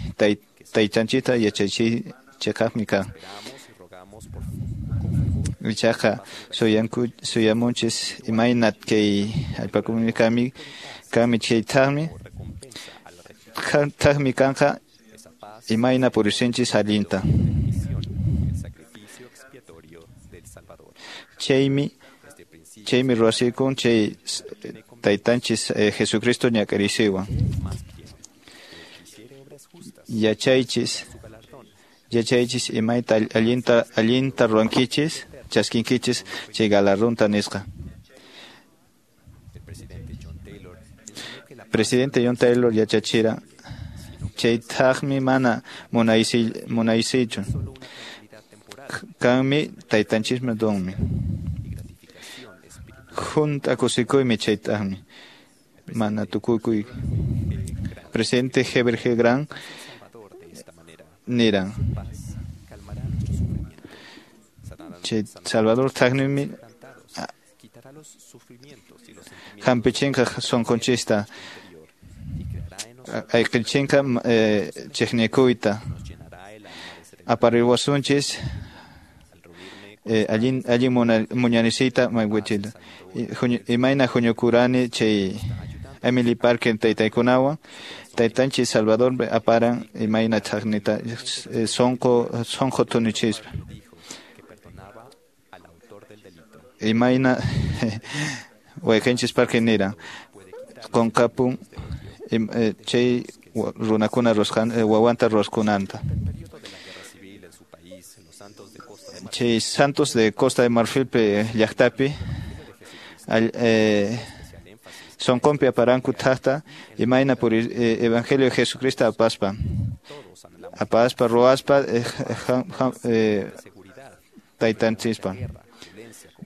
taytanchita yachachiy chiqaqmi kan. Ichaqa suyamunchis imayna kay allpakunami kami chay thaqmi kanqa imayna purisinchis allinta. Chaymi ruwasikun chay taytanchis Jesucristo ñak'arisiwan. Yachaychis imayta allinta ruwankichis chaskinkichis chay galardonta nisqa. Presidente John Taylor yachachira chay thaqmi mana munaysichu kanmi taytanchismi donmi hunt'a kusikuymi chay thaqmi mana tukukuy. Presidente Heber G. Grant niran chay Salvador thaqnimi hampichinqa sunqunchista ayqichinqa chiqnikuyta apariwasunchis allin muñanisiyta maywichila imayna huñukurani chay Emily Parker taytaykunawan taytanchis Salvador aparan imayna thaqnita sunqu tunichispa imayna wayqinchis Parker niran qunqapun chay runakuna wawanta ruwasqunanta. Chay Santos de Costa de Marfil llaqtapi sonqonpi aparanku thaqta imayna por Evangelio de Jesucristo apaspa ruwaspa taytanchispa.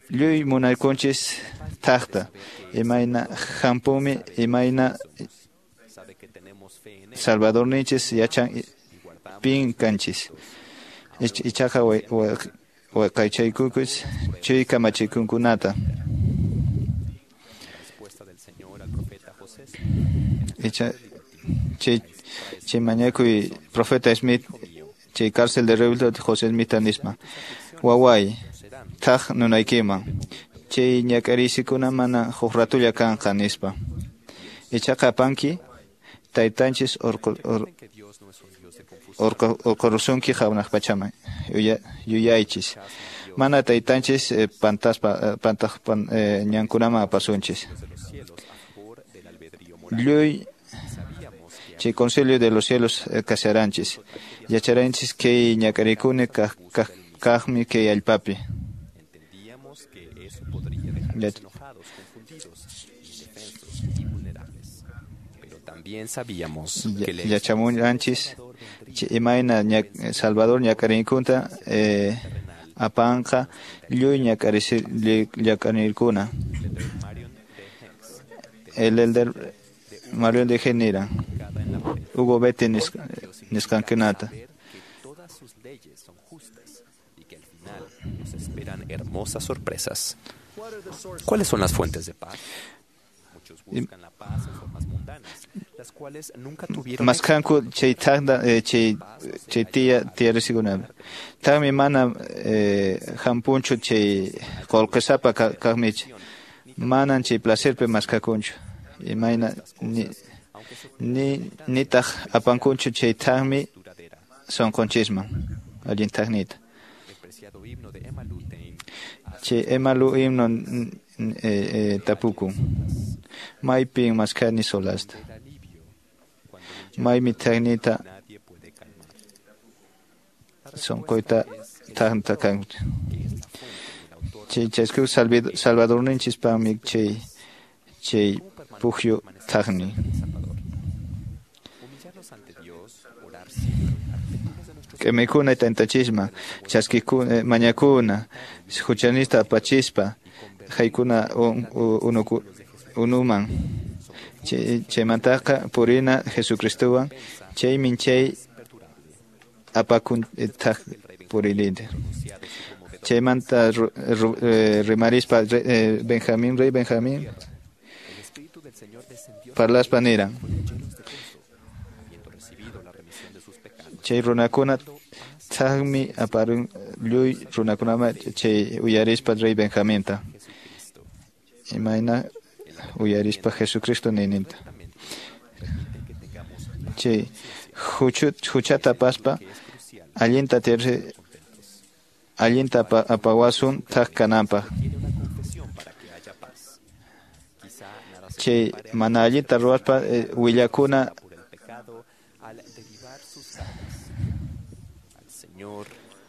Lluy munaykunchis thaqta imayna hampumi imayna Salvadorninchis yachan pin kanchis. Ichaqa waqaychaykukus chay kamachikunkunata. Icha chay mañakuy profeta Smith chay cárcel de Revuelto José Smith nisma. Waway thaq nunaykiman chay ñak'arisikuna mana huk ratulla kanqa nispa. Ichaqa apanki taytanchis orqorusunki hawnaq pachaman yuyaychis. Mana taytanchis pantaspa pantaq ñankunaman apasunchis. Lluy chay concilio de los cielos kasaranchis. Yacharanchis kay ñak'arikuni kaqmi kay allpapi. Yachamunanchis imayna Salvador ñak'arinkunta apanqa lluy ñak'arirkuna. El elder Marion de Genira Hugo Betty nisqankunata. Nos esperan hermosas sorpresas. ¿Cuáles son las fuentes de paz? Muchos buscan la paz en formas mundanas, las cuales nunca tuvieron. Maskanku chay taqta chay chay tiya tiyarisikuna. Taqmi mana hampunchu chay qullqisapa kaqmich. Manan chay placerpi maskakunchu. Imayna ni nitaq apankunchu chay taqmi sunqunchisman allin taqnita. Chay Emalu himno tapukun. Maypin maskani solasta. Maymi taqnita sunquyta taqta kan. Chay chasku Salvadorninchispaqmi chay chay pukyu taqni. K'emikuna tantachisma, chaskikuna mañakuna, huchanista apachispa, haykuna unuman. Chaymantaqa purina Jesucristowan, chaymin chay apakun thaq purilinta. Chaymanta rimarispa Benjamín, rey Benjamín, parlaspa niran. Chay runakuna thaqmi aparun lluy runakunama chay uyarispa rey Benjaminta. Imayna uyarispa Jesucristo nininta. Chay huchata apaspa allinta tiyarsi allinta apawasun thaq kananpaq. Chay mana allinta ruwaspa willakuna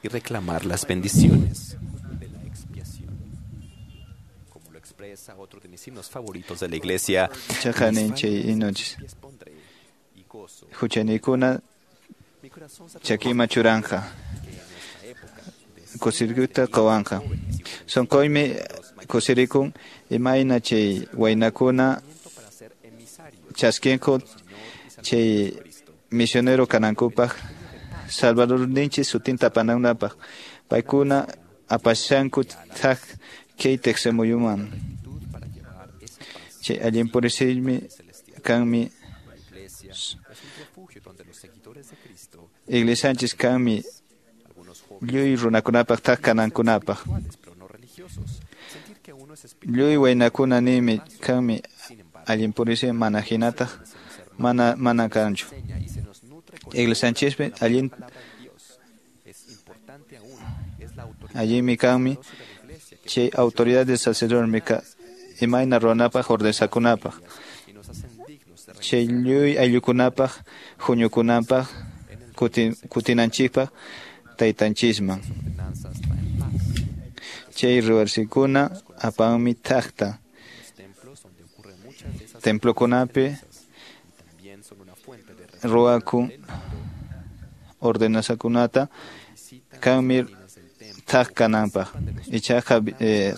y reclamar las bendiciones de la expiación. Como lo expresa otro de mis himnos favoritos de la iglesia, huchanikuna chakima churanja kusirikuta qawanja sunquymi kusirikun imayna chay waynakuna chaskinku chay misionero kanankupaq Salvadorninchis sutinta apananapaq paykuna apashanku thaq kay tiqsimuyuman. Chay allin purisiymi kanmi iglesianchis kanmi lluy runakunapaq thaq kanankunapaq. Lluy waynakuna nimi kanmi allin purisiy mana hinataq mana kanchu. Iglesianchispi allinmi kanmi chay autoridad del sacerdote imayna ruwanapaq ordenakunapaq chay lluy ayllukunapaq huñukunapaq kutinanchikpaq taytanchisman. Chay ruwarsikuna apanmi thaqta templokunapi ruwakun ordenanzakunata kanmi Thak kananpaq. Ichaqa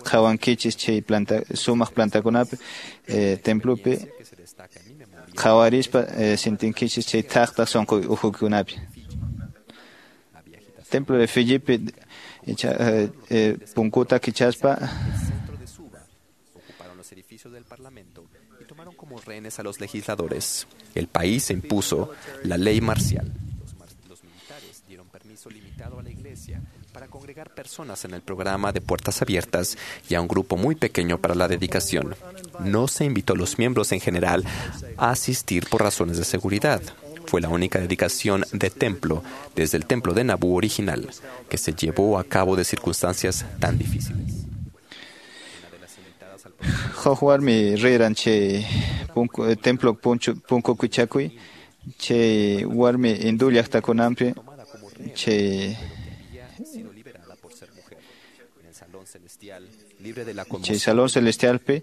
qhawankichis chay planta sumaq plantakunapi templopi qhawarispa sintinkichis chay thaqta sunqu ukhukunapi. Templo de Filipi icha punkuta kichaspa ocuparon los edificios del Parlamento y tomaron como rehenes a los legisladores. El país impuso la ley marcial. Los militares dieron permiso limitado a la iglesia para congregar personas en el programa de puertas abiertas y a un grupo muy pequeño para la dedicación. No se invitó a los miembros en general a asistir por razones de seguridad. Fue la única dedicación de templo desde el templo de Nabú original que se llevó a cabo de circunstancias tan difíciles. Huk warmi riran chay punku templo punku kichakuy chay warmi hindú llaqtakunanpi chay chay salón celestialpi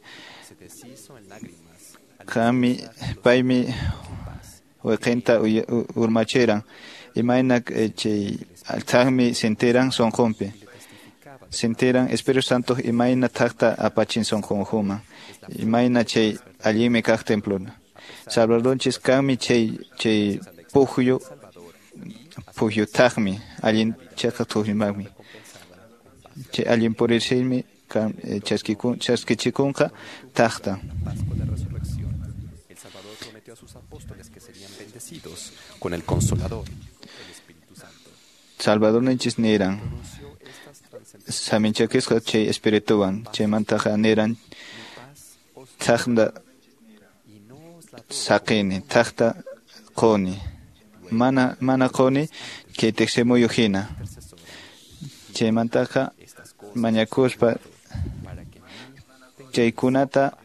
qami paymi wayqinta urmachiran imayna chay thaqmi sintiran sunqunpi sintiran Espíritu Santo imayna thaqta apachin sunqunkuman imayna chay allinmi kaq templuna Salvadorninchis kanmi chay chay pukyu pukyutaqmi allin chayqa tuqllimaqmi chay allin purirsinmi chaskichikunqa thaqta. El Salvador prometió a sus apóstoles que serían bendecidos con el Consolador, el Espíritu Santo. Salvadorninchis niran saminchakisqa chay espirituwan chaymantaqa niran thaqta saqini thaqta quni mana quni kay tiqsimuyu hina chaymantaqa mañakuspa chaykunata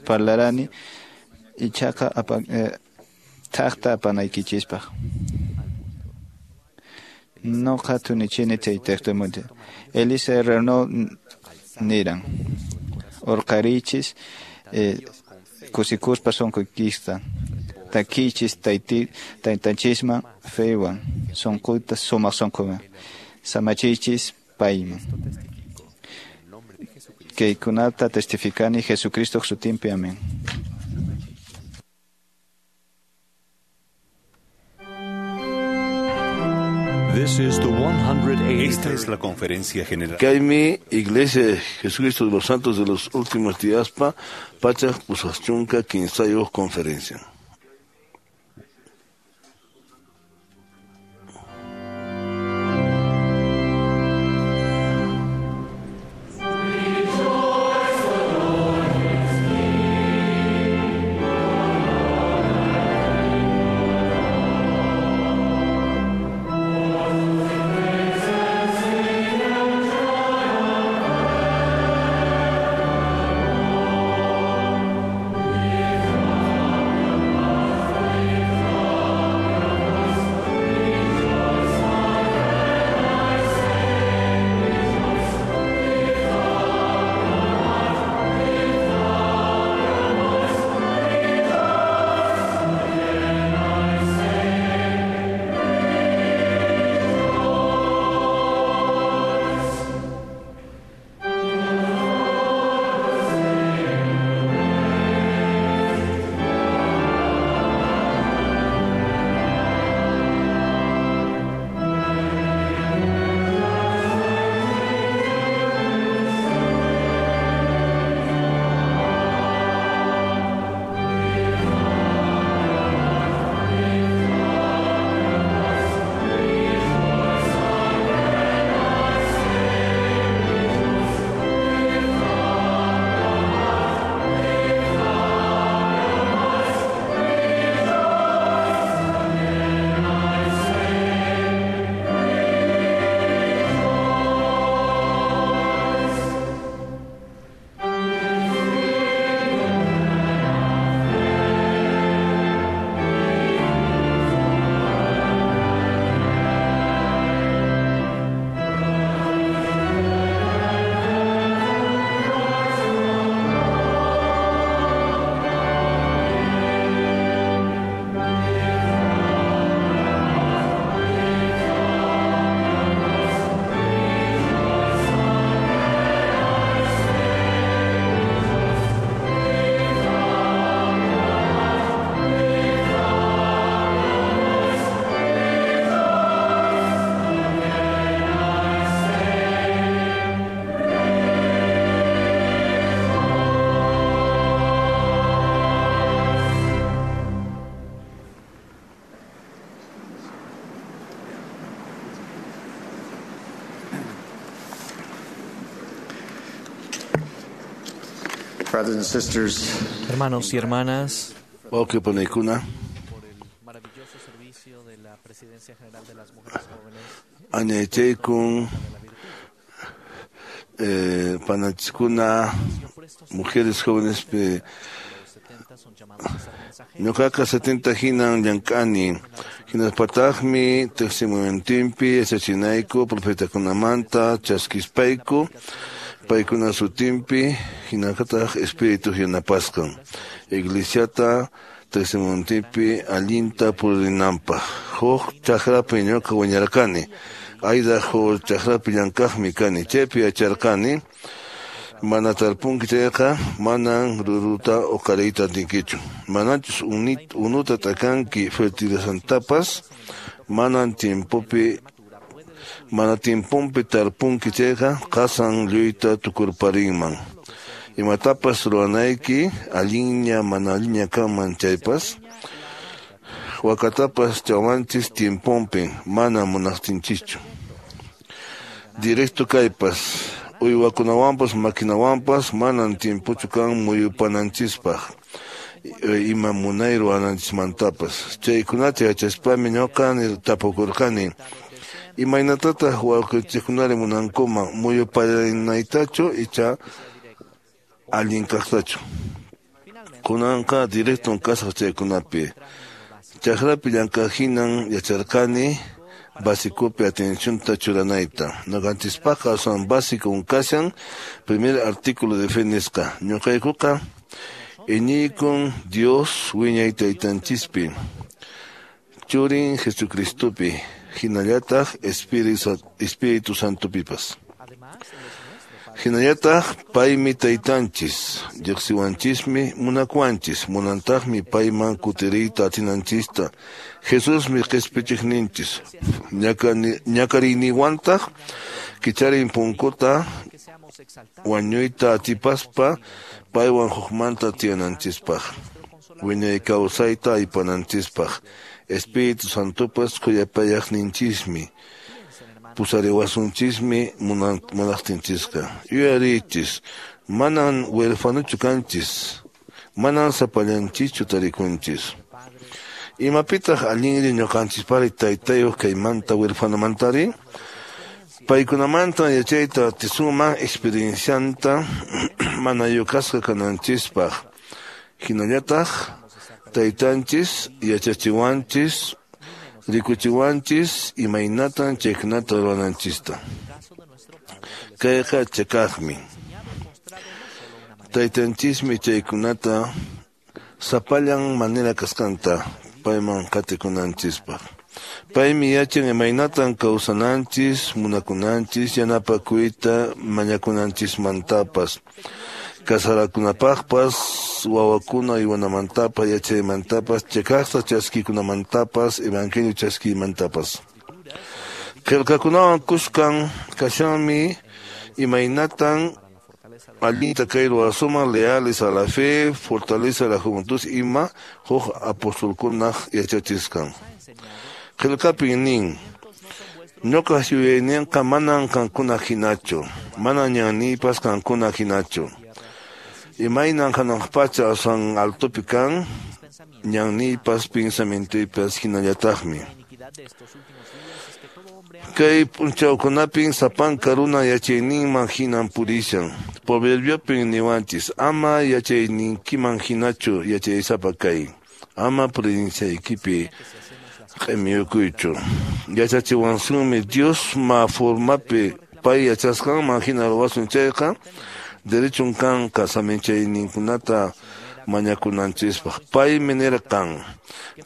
parlarani ichaqa thaqta apanaykichispaq. Noqa tunichini chay testimonio. Elisa Renault niran urqarichis kusikuspa sunquykista takichis taytanchisman feywan sunquyta sumaq sunquwan samachichis payman. Kaykunata testificani Jesucristo sutinpi. Amén. This is the 183rd. Esta es la conferencia general. Kaymi Iglesia de Jesucristo de los Santos de los Últimos Días pa pachak pusaqchunka kinsayuq conferencia. Brothers and sisters, Hermanos y hermanas, Wawqi panaykuna, añaychaykun panachiskuna mujeres jóvenes pe ñuqaqa 70 hinan llank'ani hinaspataqmi tiqsimuyuntinpi yachachinayku profetakunamanta chaskispayku paykuna sutinpi hinallataq espíritu yanapasqan iglesiata tiqsimuyuntinpi allinta purinanpaq huk chakrapi ñuqa wiñarqani Idaho chakrapi llank'aqmi kani chaypi yacharqani mana tarpunki chayqa manan ruruta uqariyta atinkichu manachus unuta t'akanki fertilizantapas manan tiempopi mana tiemponpi tarpunki chayqa qasan lluyta tukurparinman imatapas ruwanayki allinña mana allinña kanman chaypas wakatapas chawanchis tiemponpi mana munaqtinchischu directo kaypas uywakunawanpas maquinawanpas manan tiempochu kan muyupananchispaq ima munay ruwananchismantapas chaykunata yachaspami ñuqa tapukurqani imaynatataq wawqichikkunari munankuman muyuparinaytachu icha allin kaqtachu kunanqa directon kasaq chaykunapi chakrapi llank'aq hinan yacharqani básicopi atencionta churanayta ñuqanchispaqqa aswan básico kashan primer artículo de fe nisqa ñuqaykuqa iñiykun Dios wiñay taytanchispi churin Jesucristopi hinallataq Espíritu Santopipas hinallataq paymi taytanchis riqsiwanchismi munakuwanchis munantaqmi payman kutiriyta atinanchista Jesusmi qispichiqninchis ñakariyniwantaq kicharin punkuta wañuyta atipaspa paywan hukmanta tiyananchispaq wiñay kawsayta aypananchispaq Espíritu Santopas khuyapayaqninchismi pusariwasunchismi munaqtinchisqa yuyariychis manan huerfanochu kanchis manan sapallanchischu tarikunchis imapitaq allinri ñuqanchispari taytayuq kaymanta huerfanomantari paykunamanta yachayta atisunman experiencianta mana yukasqa kananchispaq hinallataq taytanchis yachachiwanchis rikuchiwanchis imaynatan chaykunata ruwananchista kayqa chakaqmi taytanchismi chaykunata sapallan manera kasqanta payman qatikunanchispaq paymi yachan imaynatan kawsananchis munakunanchis yanapakuyta mañakunanchismantapas casarakunapaqpas wawakuna uywanamantapas yachaymantapas chakaqta chaskikunamantapas evangelio chaskiymantapas qillqakunawan kuskan kashanmi imaynatan allinta kay ruwasuman leales a la fe fortaleza a la juventud ima huk apostolkunaq yachachisqan qillqapin nin ñuqaq yuyayninqa manan qankuna hinachu manan ñanniypas qankuna hinachu imaynan hanaq pacha aswan altopi kan ñanniypas pensamientoypas hinallataqmi kay p'unchawkunapin sapanka runa yachayninman hinan purishan proverbiopin niwanchis ama yachayninkiman hinachu yachaysapa kay ama prudenciaykipi q'imiyukuychu yachachiwansunmi Dios ma formapi pay yachasqanman hina ruwasun chayqa derechon kanqa saminchayninkunata mañakunanchispaq paymi nirqan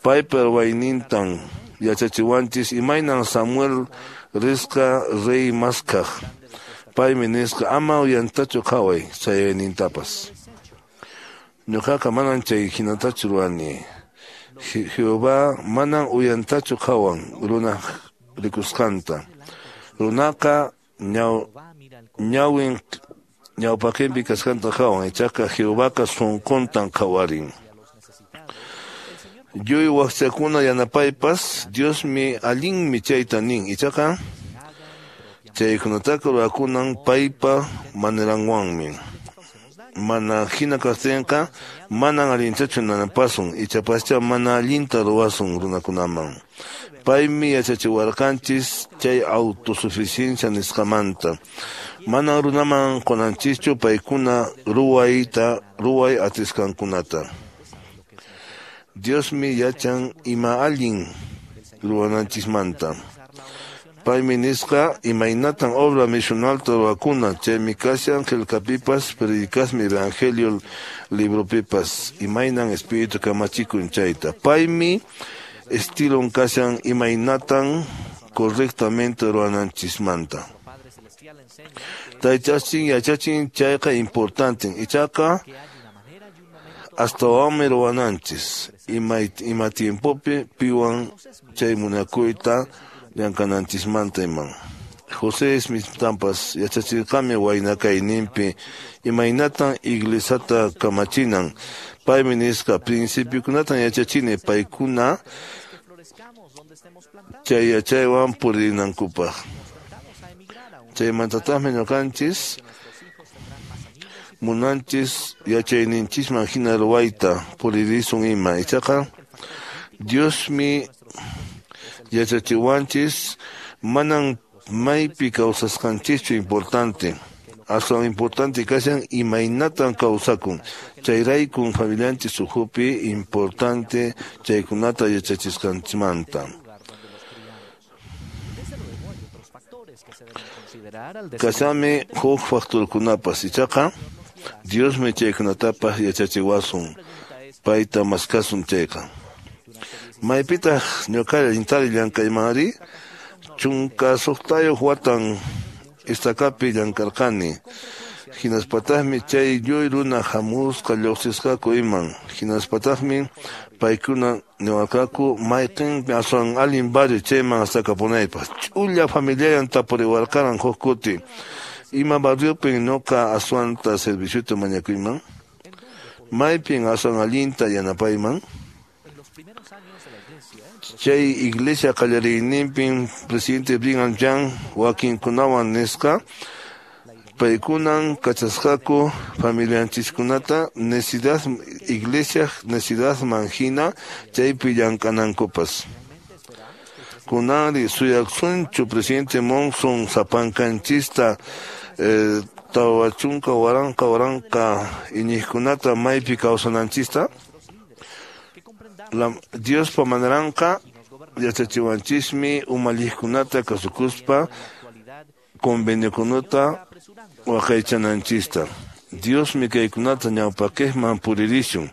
paypa ruwaynintan yachachiwanchis imaynan Samuel risqa rey maskaq paymi nisqa ama uyantachu qhaway sayaynintapas ñuqaqa manan chay hinatachu ruwani Jehová manan uyantachu qhawan runaq rikusqanta runaqa ñawin ñawpaqinpi kasqanta qhawan ichaqa Jehovaqa sunquntan qhawarin lluy wakchakuna yanapaypas Diosmi allinmi chayta nin ichaqa chaykunataqa ruwakunan paypa maneranwanmi Mana hina kaqtinqa manan allintachu nanapasun, ichapascha mana allinta ruwasun runakunaman. Paymi yachachiwarqanchis chay autosuficiencia nisqamanta. Manan runaman qunanchischu paykuna ruway atisqankunata. Diosmi yachan ima allin ruwananchismanta. Paymi nisqa imaynatan obra misionalta ruwakuna, chaymi kashan qillqapipas, predicasmi evangelio libropipas, imaynan espíritu kamachikun chayta. Paymi estilon kashan imaynatan correctamente ruwananchismanta. Taytachin yachachin chayqa importante, ichaqa astawanmi ruwananchis ima tiempopi piwan chay munakuyta llank'ananchismanta iman. José Smithtampas yachachirqami wayna kayninpi imaynatan iglesiata kamachinan. Paymi nisqa principiokunatan yachachini paykuna chay yachaywan purinankupaq. Chaymantataqmi ñuqanchis munanchis yachayninchisman hina ruwayta puririsun ima. Ichaqa Diosmi yachachiwanchis manan maypi kawsasqanchischu importante. Aswan importante kashan imaynatan kawsakun. Chayraykun familianchis ukhupi importante chaykunata yachachisqanchismanta. Kashanmi huk factorkunapas, ichaqa Diosmi chaykunatapas yachachiwasun, payta maskasun chayqa. Maypitaq ñuqalla intari llank'aymanri 16 watan estakapi llank'arqani. Hinaspataqmi chay lluy runa hamusqa lluqsisqaku iman. Hinaspataqmi paykuna niwarqaku mayqinpi aswan allin barrio chayman astakapunaypaq. Ch'ulla familiayan tapuriwarqaran huk kuti. Ima barriopin ñuqa aswanta serviciota mañakuyman? Maypin aswan allinta yanapayman? Chay iglesia qallariyninpin presidente Brigham Young wakinkunawan nisqa paykunan kachasqaku familianchiskunata necesidad iglesia necesidadman hina chaypi llank'anankupas. Kunanri suyaqsunchu presidente Monson sapankanchista 40 000 iñiqkunata maypi kawsananchista? Diospa manaranqa yachachiwanchismi umalliqkunata kasukuspa conveniokunata waqaychananchista. Diosmi kaykunata ñawpaqman puririshun.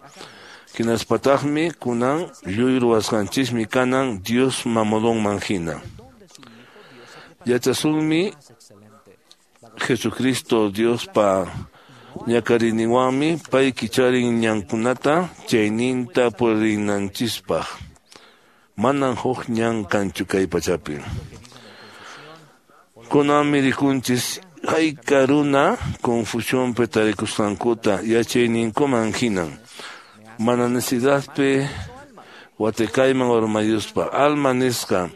Hinaspataqmi kunan lluy ruwasqanchismi kanan Dios mamodonman hina. Yachasunmi Jesucristo Diospa ñakarininwanmi pay kicharin ñankunata chayninta purinanchispaq. Manan huk ñan kanchu kay pachapi. Kunanmi rikunchis hayka runa confusionpi tarikusqankuta yachayninkuman hinan. Mana necesidadpi watikayman urmayuspa. Alma nisqa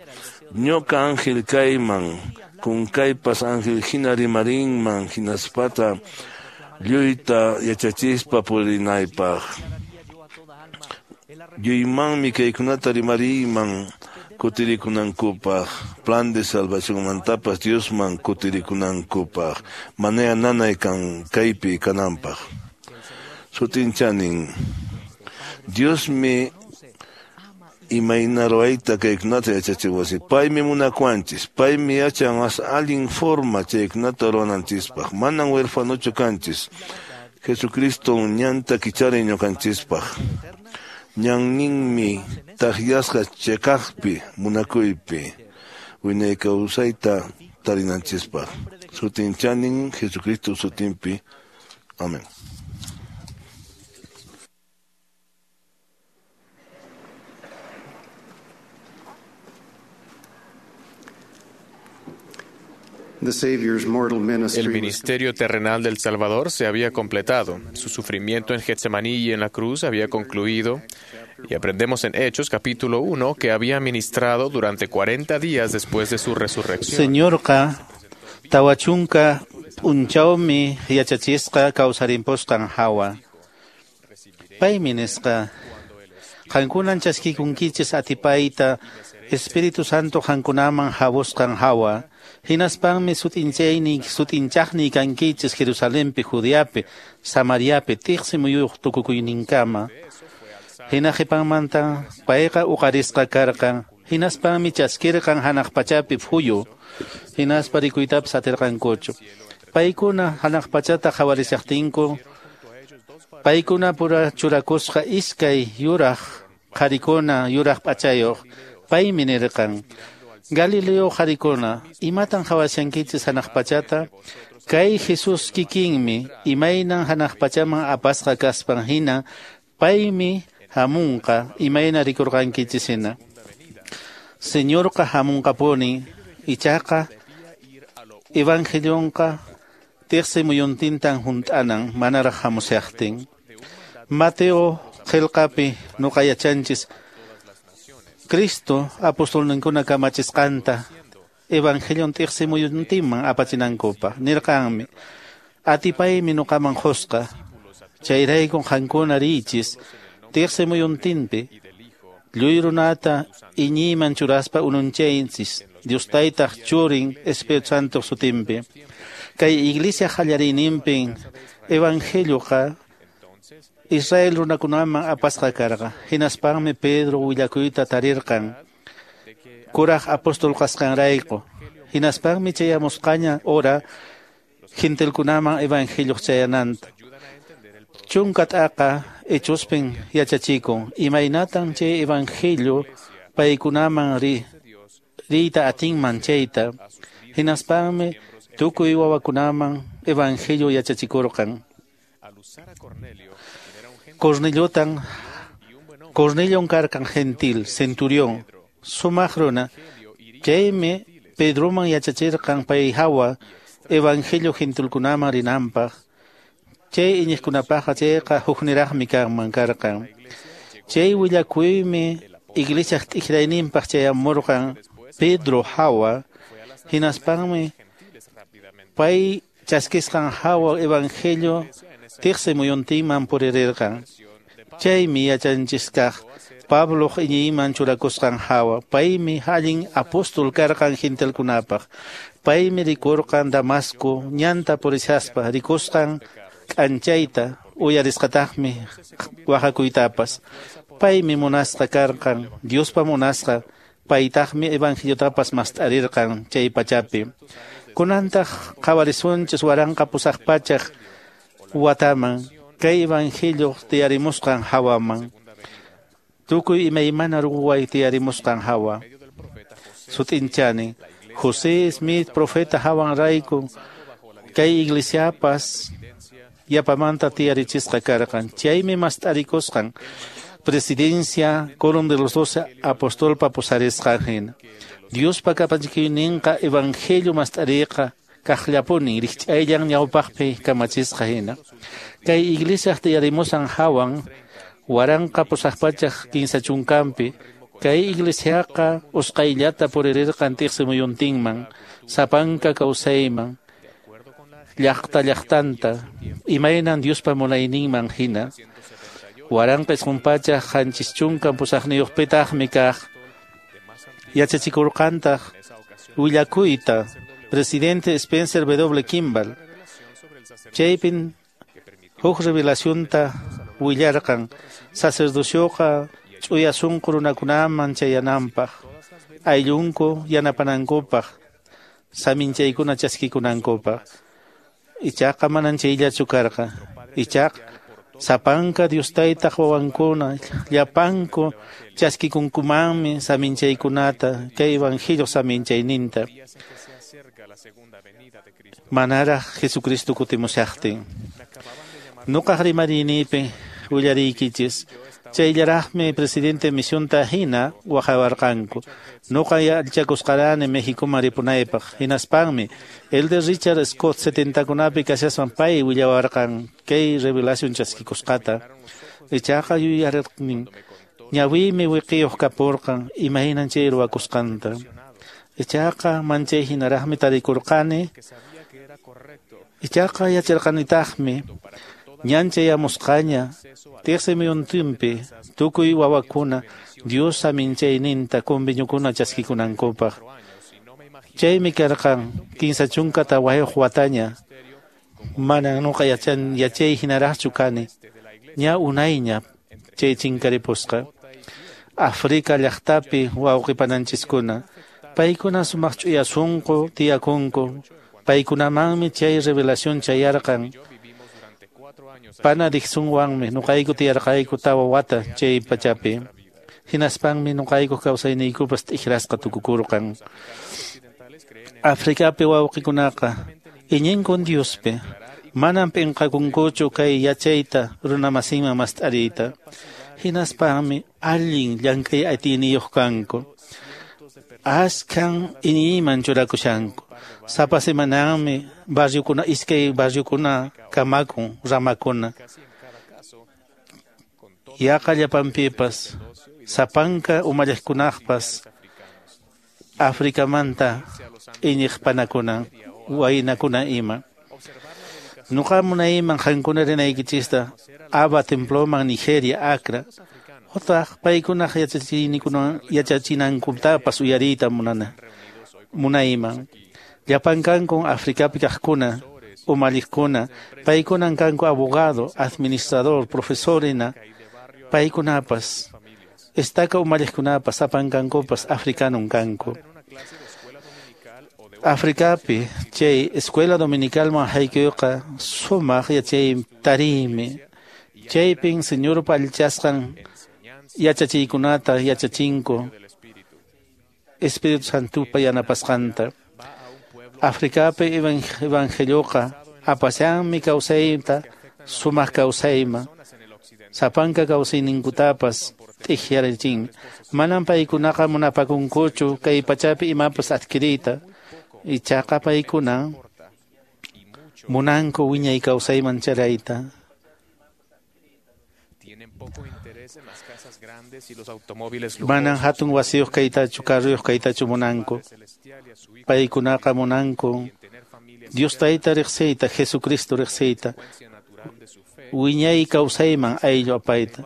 ñuqa ángel kayman kunkaypas ángel hina rimarinman hinaspata lluyta yachachispa purinaypaq. Lluymanmi kaykunata rimariyman kutirikunankupaq, plan de salvacionmantapas Diosman kutirikunankupaq, manaya nanay kan kaypi kananpaq. Sutinchanin Diosmi imayna ruwayta kaykunata yachachiwasi. Paymi munakuwanchis, paymi yachan mas allin forma chaykunata ruwananchispaq. Manan huerfanochu kanchis. Jesucristo ñanta kicharin ñuqanchispaq. Ñanninmi takyasqa chiqaqpi munakuypi wiñay kawsayta tarinanchispaq. Sutinchanin Jesucristo sutinpi. Amén. El ministerio terrenal del Salvador se había completado. Su sufrimiento en Getsemaní y en la cruz había concluido. Y aprendemos en Hechos capítulo 1 que había ministrado durante 40 días después de su resurrección. Señorqa tawachunka p'unchawmi yachachisqa kawsarimpusqan hawa. Paymi nisqa, qankunan chaskikunkichis atipayta Espíritu Santo qankunaman hawusqan hawa. Hinaspanmi sut'inchaqniy kankichis Jerusalenpi, Judeapi, Samariapi, tiqsi muyuq tukukuyninkama. Hina qhipanmanta payqa uqarisqa karqan. Hinaspanmi chaskirqan hanaq pachapi phuyu. Hinaspa rikuytapas atirqankuchu. Paykuna hanaq pachata qhawarishaqtinku, paykuna pura churakusqa iskay yuraq qharikuna yuraq p'achayuq. Paymi nirqan, Galileo qharikuna, imatan qhawashankichis hanaq pachata? Kay Jesús kikinmi imaynan hanaq pachaman apasqa kaspan hina, paymi hamunqa imayna rikurqankichis hina. Señorqa hamunqapuni, ichaqa evangelionqa tiqsi muyuntintan hunt'anan manaraq hamushaqtin. Mateo qillqapi nuqa yachanchis Cristo apostolninkuna kamachisqanta evangelion tiqsi muyuntinman apachinankupaq. Nirqanmi, atipaymi nuqaman qusqa, chayraykun qankuna riychis tiqsi muyuntinpi lluy runata iñiyman churaspa ununchaychis Dios Taytaq Churin Espíritu Santo sutinpi. Kay iglesia qallariyninpin evangelioqa Israel runakunaman apasqa karqa. Hinaspanmi Pedro willakuyta tarirqan kuraq apóstol kasqanrayku. Hinaspanmi chayamusqaña hora gentilkunaman evangelio chayananta. Chunka t'aqa Hechospin yachachikun imaynatan chay evangelio paykunaman riyta atinman chayta. Hinaspanmi tukuy wawakunaman evangelio yachachikurqan. Cornelion karqan gentil, centurión, sumaq runa. Chaymi Pedroman yachachirqan pay hawa evangelio gentilkunaman rinanpaq. Chay iñiqkunapaqqa chayqa hukniraqmi kanman karqan. Chay willakuymi iglesiaq t'ikrayninpaq chayamurqan Pedro hawa. Hinaspanmi pay chaskisqan hawa evangelio tiqsi muyuntinman puririrqan. Chaymi yachanchis kaq Pabloq iñiyman churakusqan hawa. Paymi allin apóstol karqan gentilkunapaq. Paymi rikurqan Damasco ñanta purishaspa rikusqan k'anchayta uyarisqataqmi waqakuytapas. Paymi munasqa karqan, Diospa munasqa, paytaqmi evangeliotapas mast'arirqan chay pachapi. Kunantaq qhawarisunchis 1800 wataman kay evangelio tiyarimusqan hawaman. Tukuy imaymana ruway tiyarimusqan hawa. Sut'inchani, José Smith profeta hawanrayku kay iglesiapas yapamanta tiyarichisqa karqan. Chaymi mast'arikusqan presidencia Quórum de los Doce apostolpa pusarisqan hina. Diospa kamachikuyninqa evangelio mast'ariqa kaqllapuni rikch'ayllan ñawpaqpi kamachisqa hina. Kay iglesiaq tiyarimusan hawan 1830 kay iglesiaqa usqayllata puririrqan tiqsi muyuntinman, sapanka kawsayman, llaqta llaqtanta, imaynan Diospa munayninman hina. 1978pitaqmi kaq yachachikurqantaq willakuyta presidente Spencer W. Kimball. Chaypin huk revelacionta willarqan sacerdocioqa ch'uya sunqu runakunaman chayananpaq, ayllunku yanapanankupaq, saminchaykuna chaskikunankupaq. Ichaqa manan chayllachu karqa. Ichaqa sapanka Dios Taytaq wawankuna llapanku chaskikunkumanmi saminchaykunata kay evangelio saminchayninta manaraq Jesucristo kutimushaqtin. Nuqaq rimariynipi willariykichis chayllaraqmi presidente misionta hina waqawarqanku. Nuqa yallchakusqarani Mexicoman ripunaypaq. Hinaspanmi Elder Richard Scott 70kunapi kashaspan pay willawarqan kay revelación chaskikusqata. Ichaqa yuyarirqnin ñawiymi wiqiyuq kapurqan imaynan chay ruwakusqanta. Ichaqa manchay hinaraqmi tarikurqani Ichaqa yacharqanitaqmi ñan chayamusqaña tiqsimuyuntinpi tukuy wawakuna Dios saminchayninta conveniokuna chaskikunankupaq. Chaymi karqan 34 wataña. Manan nuqa yachay hinaraqchu kani. Ña unayña chay chinkaripusqa. Afrika llaqtapi wawqipananchiskuna. Paykuna sumaq ch'uya sunqu tiyakunku. Paykunamanmi chay revelación chayarqan. Pana Dixonwanmi nuqayku tiyarqayku 4 wata chay pachapi. Hinaspanmi nuqayku kawsayniykupas t'ikrasqa tukukurqan. Afrikapi wawqikunaqa iñinkun Diospi. Manam p'inqakunkuchu kay yachayta runamasinman mast'ariyta. Hinaspanmi allin llank'ay atiyniyuq kanku. Askhan iñiyman churakushanku. Sapa semananmi barriokuna iskay barriokuna kamakun ramakuna. Yaqa llapanpipas sapanka umalliqkunaqpas Afrikamanta iñiqpanakuna waynakuna ima. Nuqa munayman qankuna rinaykichista Aba temploman Nigeria Accra. Otaq paykunaq yachachinankutapas uyariyta munayman. Llapan kankun Afrikapi kaqkuna, umalliqkuna, paykunan kanku abogado, administrador, profesorina, paykunapas, estaca umalliqkunapas, sapan kankupas africanun kanku. Afrikapi chay escuela dominicalman haykuyqa sumaq yachay tariymi. Chaypin Señorpa allichasqan yachachiykunata yachachinku Espíritu Santupa yanapasqanta. Afrikapi evangelioqa apashanmi kawsayta sumaq kawsayman. Sapanka kawsayninkutapas t'ikyarichinmi. Manam paykunaqa munapakunkuchu kay pachapi imapas adquiriyta. Ichaqa paykuna munanku wiñay kawsayman charayta. Manan hatun wasiyuq kaytachu, carruyuq kaytachu munanku. Paykunaqa munanku Dios Tayta riqsiyta, Jesucristo riqsiyta, wiñay kawsayman ayllu apayta.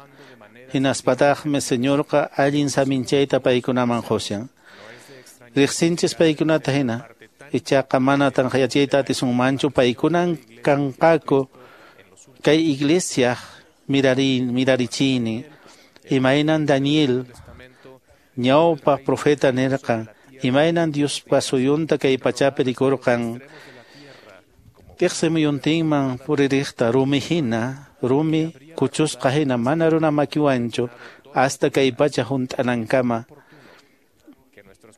Hinaspataqmi Señorqa allin saminchayta paykunaman qushan. Riqsinchis paykunata hina, ichaqa mana tanqayachiyta atisunmanchu paykunan kanqaku kay iglesia mirarichini. Imaynan Daniel ñawpa profeta nirqan, imaynan Diospa suyunta kay pachapi rikurqan. Tiqsimuyuntinman puririqta rumi hina, rumi kuchusqa hina mana runa makiwanchu hasta kay pacha hunt'anankama.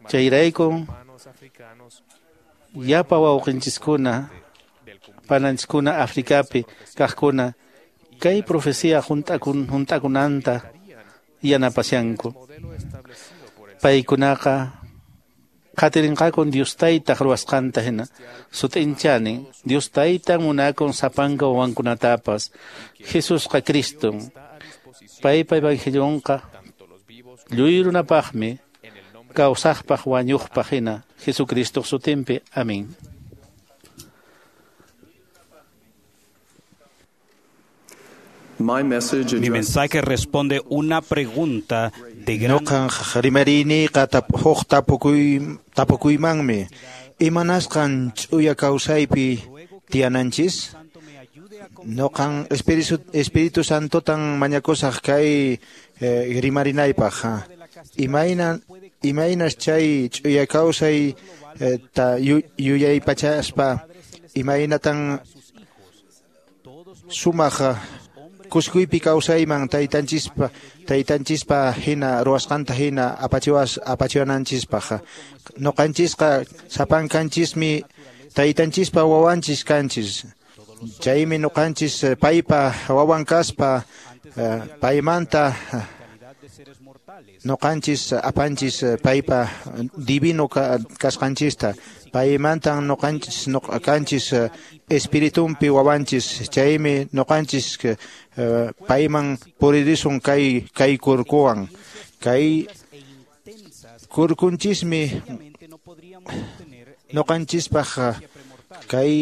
Chayraykun llapa wawqinchiskuna, pananchiskuna Afrikapi kaqkuna kay profecía hunt'akunanta yanapashanku. Paykunaqa qatirinqakun Dios Taytaq ruwasqanta hina. Sut'inchani Dios Taytan munakun sapanka wawankunatapas. Jesusqa Criston. Paypa evangelionqa lluy runapaqmi kawsaqpaq wañuqpaq hina. Jesucristoq sutinpi. Amén. Mi mensaje responde una pregunta de gran... Noqan rimariyniqa huk tapukuymanmi. Imanasqan ch'uya kawsaypi tiyananchis? Noqan Espíritu Santotan mañakusaq kay rimarinaypaq. Imaynas chay ch'uya kawsay ta yuyaypachaspa imaynatan sumaq kuskuypi kawsayman taytanchispa hina ruwasqanta hina apachiwananchispaq. Noqanchisqa sapankanchismi taytanchispa wawanchis kanchis. Chaymi noqanchis paypa wawan kaspa paymanta noqanchis apanchis paypa divino kasqanchista. Paymantan noqanchis kanchis espiritumpi wawanchis. Chaymi noqanchis payman puririsun kay kurkuwan. Kay kurkunchismi noqanchispaq Kay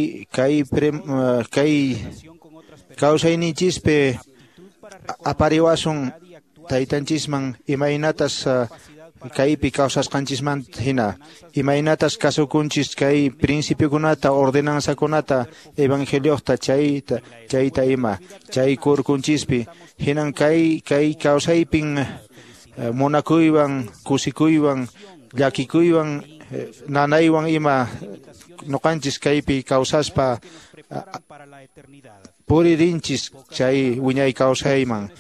kawsayninchispi apariwasun taytanchisman imaynatas kaypi kawsasqanchismanta hina, imaynatas kasukunchis kay principiokunata, ordenanzakunata, evangeliota chayta ima, chay kurkunchispi hinan kay kawsaypin munakuywan, kusikuywan, llakikuywan, nanaywan ima noqanchis kaypi kawsaspa puririnchis chay wiñay kawsayman.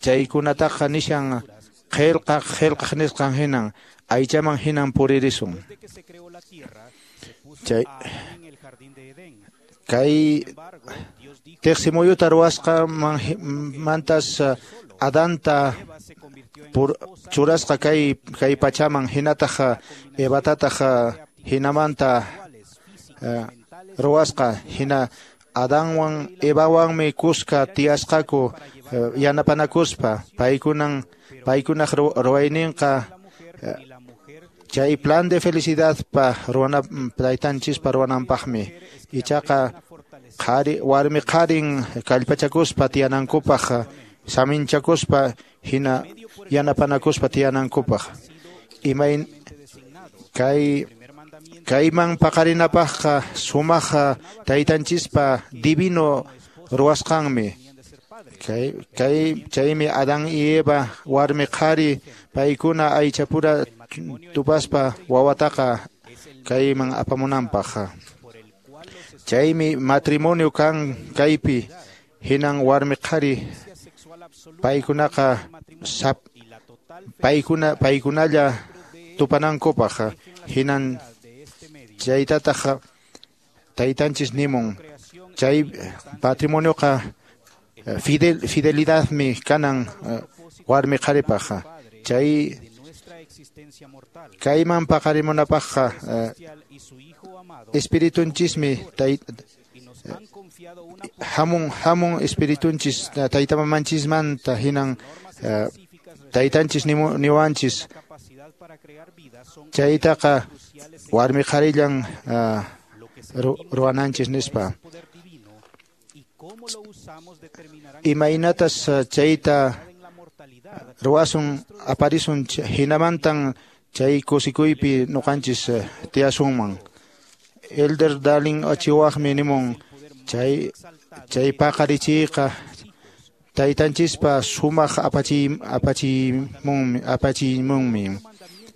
Chaykunataqa nishan qillqaq nisqan hinan aychaman hinan puririsun. Chay kay tiqsimuyuta ruwasqa mantas Adanta churasqa kay pachaman hinataq Evatataq hinamanta ruwasqa hina Adanwan Evawanmi kuska tiyasqaku yanapanakuspa paykunaq ruwayninqa chay plan de felicidad pa ruwana taytanchispa ruwananpaqmi ichaqa qhari warmi qharin kallpachakuspa tiyanankupaq saminchakuspa hina yanapanakuspa tiyanankupaq imay kayman paqarinapaqqa sumaq taytanchispa divino ruwasqanmi chaymi Adán y Eva warmi qhari paykuna aychapura tupaspa wawataqa kayman apamunanpaq. Chaymi matrimonio kan kaypi hinan warmi qhari paykunaqa paykunalla tupanankupaq hinan chaytataq taytanchis nimun chay matrimonioqa fidelidadmi kanan warmi qharipaq chay kayman paqarimunapaqqa espiritunchismi hamun espiritunchis taytamamanchismanta hinan taytanchis niwanchis chaytaqa warmi qharillan ruwananchis nispa. Imaynatas chayta ruwasun aparisun hinamantan chay kusikuypi nuqanchis tiyasunman. Elder Darling Achiwaqmi nimun chay paqarichiyqa taytanchispa sumaq apachimunmi.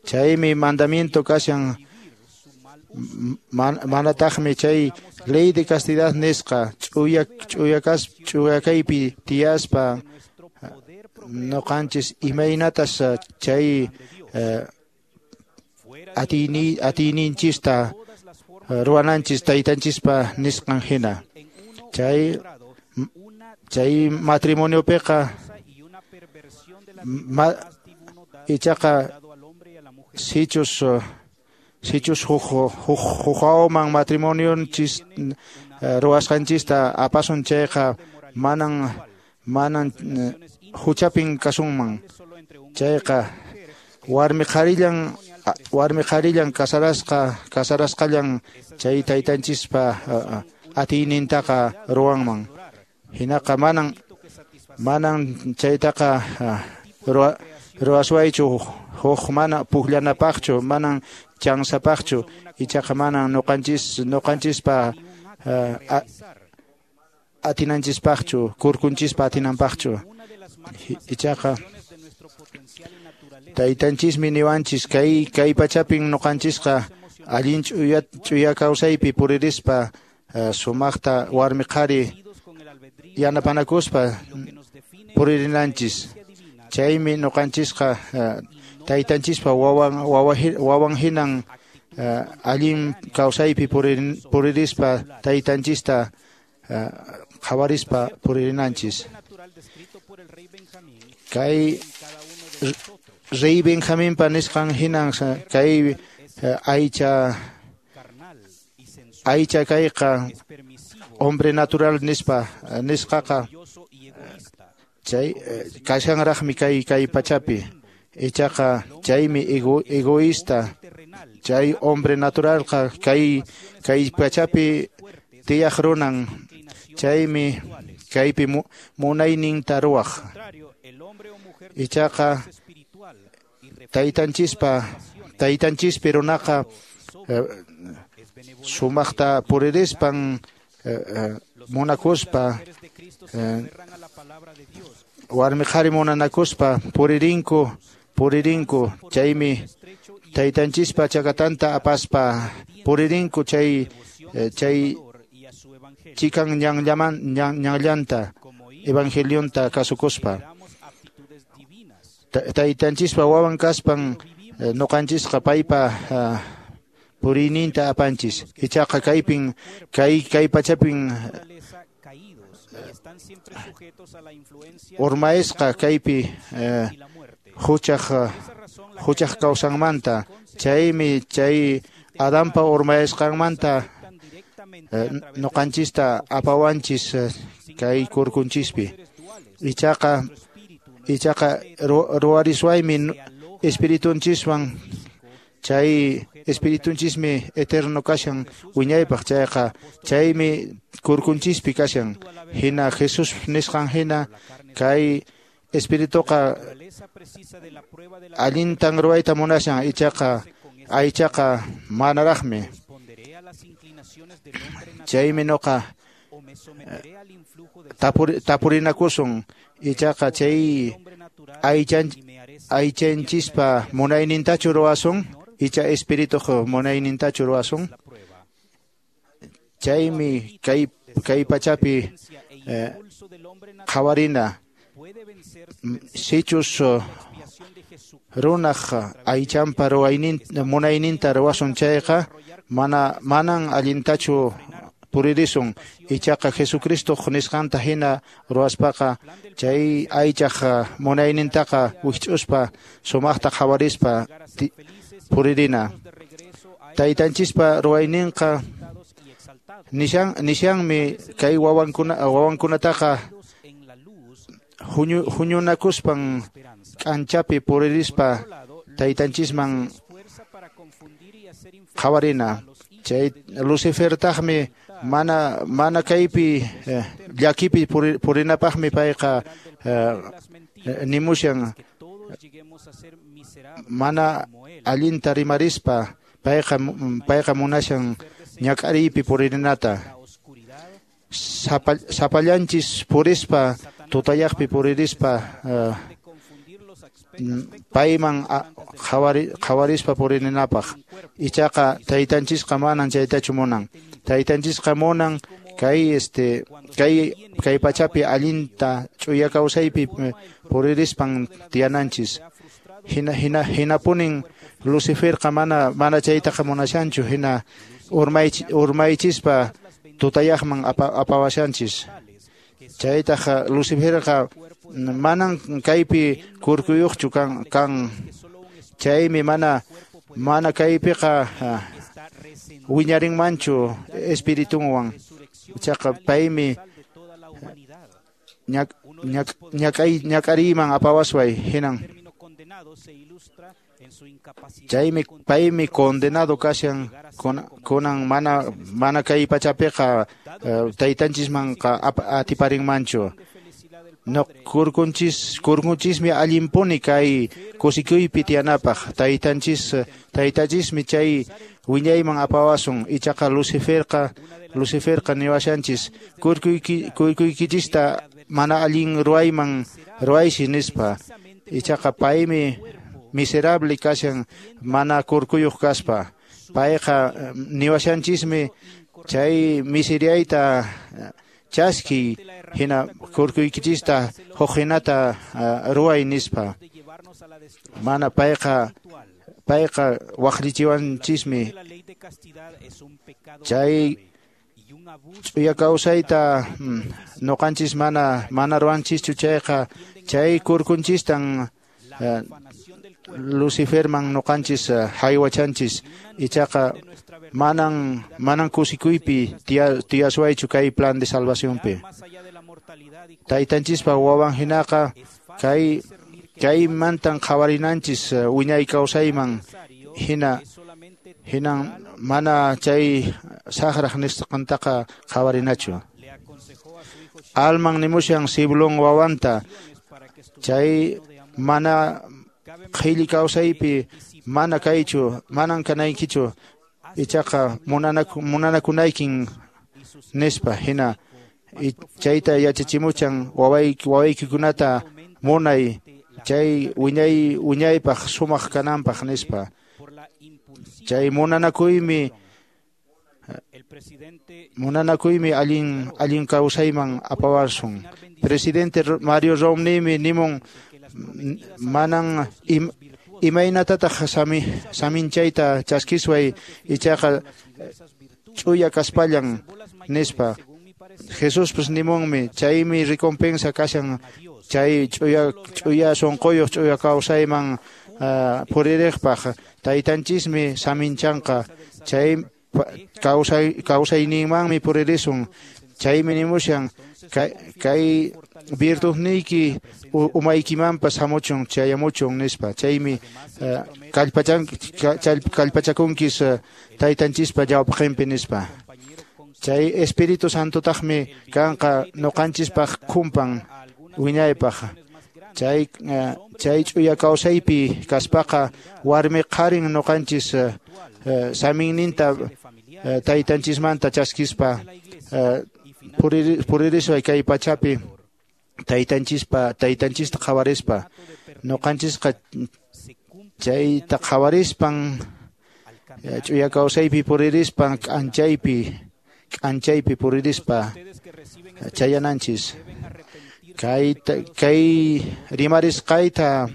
Chaymi mandamiento kashan manataqmi chay ley de castidad nisqa ch'uya kaypi tiyaspa noqanchis imaynatas chay atiyninchista ruwananchis taytanchispa nisqan hina. Chay matrimoniopiqa ichaqa sichus huk matrimonionchis ruwasqanchista apasun chayqa manan huchapin kasunman. Chayqa warmi qharillan kasarasqallan chay taytanchispa atiynintaqa ruwanman. Hinaqa manan chaytaqa ruwaswaychu huk mana pukllanapaqchu, manan chansapaqchu, ichaqa manan noqanchispa atinanchispaqchu, kurkunchispa atinanpaqchu. Ichaqa taytanchismi niwanchis kay pachapin noqanchisqa allin ch'uya kawsaypi puririspa sumaqta warmi qhari yanapanakuspa puririnanchis. Chaymi noqanchisqa taytanchispa wawan hinan allin kawsaypi puririspa taytanchista qhawarispa puririnanchis. Kay Rey Benjaminpa nisqan hinan kay aycha kayqa hombre natural nisqaqa chay kashanraqmi kay pachapi. Ichaqa chaymi egoísta Chay hombre naturalqa kay pachapi tiyaq runan, chaymi kaypi munayninta ruwaq. Ichaqa taytanchispi runaqa sumaqta puririspan munakuspa warmi qhari munanakuspa puririnku chaymi taytanchispa chakatanta apaspa puririnku chay chikan ñanllanta evangelionta kasukuspa. Taytanchispa wawan kaspan noqanchisqa paypa puriyninta apanchis. Ichaqa kaypin kay pachapin urmaesqa kaypi huchaq kawsanmanta, chaymi chay Adanpa urmaesqanmanta noqanchista apawanchis kay kurkunchispi. Ichaqa ruwariswaymi espiritunchiswan, chay espiritunchismi eterno kashan wiñaypaq, chayqa chaymi kurkunchispi kashan. Hina Jesús nisqan hina kay espirituqa allintan ruwayta munashan, ichaqa aychaqa manaraqmi. Chaymi noqa tapurinakusun, ichaqa chay aychanchispa munaynintachu ruwasun, icha espirituq munaynintachu ruwasun. Chaymi kay pachapi qhawarina sichus runaq aychanpa munayninta ruwasun chayqa manan allintachu puririsun. Ichaqa Jesucristoq nisqanta hina ruwaspaqa chay aychaq munaynintaqa wikch'uspa sumaqta qhawarispa puririna. Taytanchispa ruwayninqa nishanmi kay wawankunataqa huñunakuspan k'anchapi puririspa taytanchisman qhawarina. Chay Lucifertaqmi mana kaypi llakipi purinapaqmi payqa nimushan, mana allinta rimarispa payqa munashan ñak'ariypi puririnata. Sapallanchis purispa tutayaqpi puririspa payman qhawarispa puririnapaq. Ichaqa taytanchisqa manan chaytachu munan. Taytanchisqa munan kay pachapi allinta ch'uya kawsaypi puririspan tiyananchis. Hinapunin Luciferqa mana chaytaqa munashanchu, hina urmaychispa tutayaqman apawashanchis. Chaytaqa Luciferqa manan kaypi kurkuyuqchu kan, chaymi mana kaypiqa wiñarinmanchu espiritunwan. Ichaqa paymi ñak'ariyman apawasway hinan. Chaymi paymi condenado kashan kunan mana kay pachapiqa taytanchismanqa atiparinmanchu. No kurkunchismi allinpuni kay kusikuypi tiyanapaq. Taytanchismi chay wiñayman apawasun. Ichaqa Luciferqa niwashanchis kurkuykichista mana allin ruwayman ruwaysi nispa. Ichaqa paymi miserable kashan mana kurkuyuq kaspa. Payqa niwashanchismi chay miseriayta chaski hina kurkuykichista huk hinata ruway nispa. Mana payqa waqllichiwanchismi chay ch'uya kawsayta noqanchis mana ruwanchischu chayqa chay kurkunchistan Luciferman noqanchis haywachanchis. Ichaqa manan kusikuypi tiyaswaychu kay plan de salvacionpi. Taytanchispa wawan hinaqa kaymantan qhawarinanchis wiñay kawsayman hina Hinan mana chay saqraq nisqantaqa qhawarinachu. Alman nimushan Siblón wawanta chay mana qhilli kawsaypi mana kaychu, manan kanaykichu, ichaqa munanakunaykin nispa. Hina chayta yachachimuchan wawaykikunata munay chay wiñaypaq sumaq kananpaq nispa. Chay munanakuymi allin kawsayman apawasun. Presidente Mario Romneymi nimun manan imaynatataq saminchayta chaskisway ichaqa ch'uya kaspallan nispa. Jesuspas nimunmi chaymi recompensa kashan chay ch'uya sunquyuq ch'uya kawsayman puririqpaq. Taytanchismi saminchanqa chay kawsayninmanmi puririsun. Chaymi nimushan kay virtudniyki umaykimanpas hamuchun chayamuchun nispa. Chaymi kallpachakunkis taytanchispa ñawpaqinpi nispa. Chay Espíritu Santotaqmi kanqa ñuqanchispaq khumpan wiñaypaq. Chay ch'uya kawsaypi kaspaqa warmi qharin ñuqanchis saminninta taytanchismanta chaskispa puririsway kay pachapi taytanchista qhawarispa. Ñuqanchisqa chayta qhawarispan ch'uya kawsaypi puririspan k'anchaypi puririspa chayananchis. Kay rimarisqayta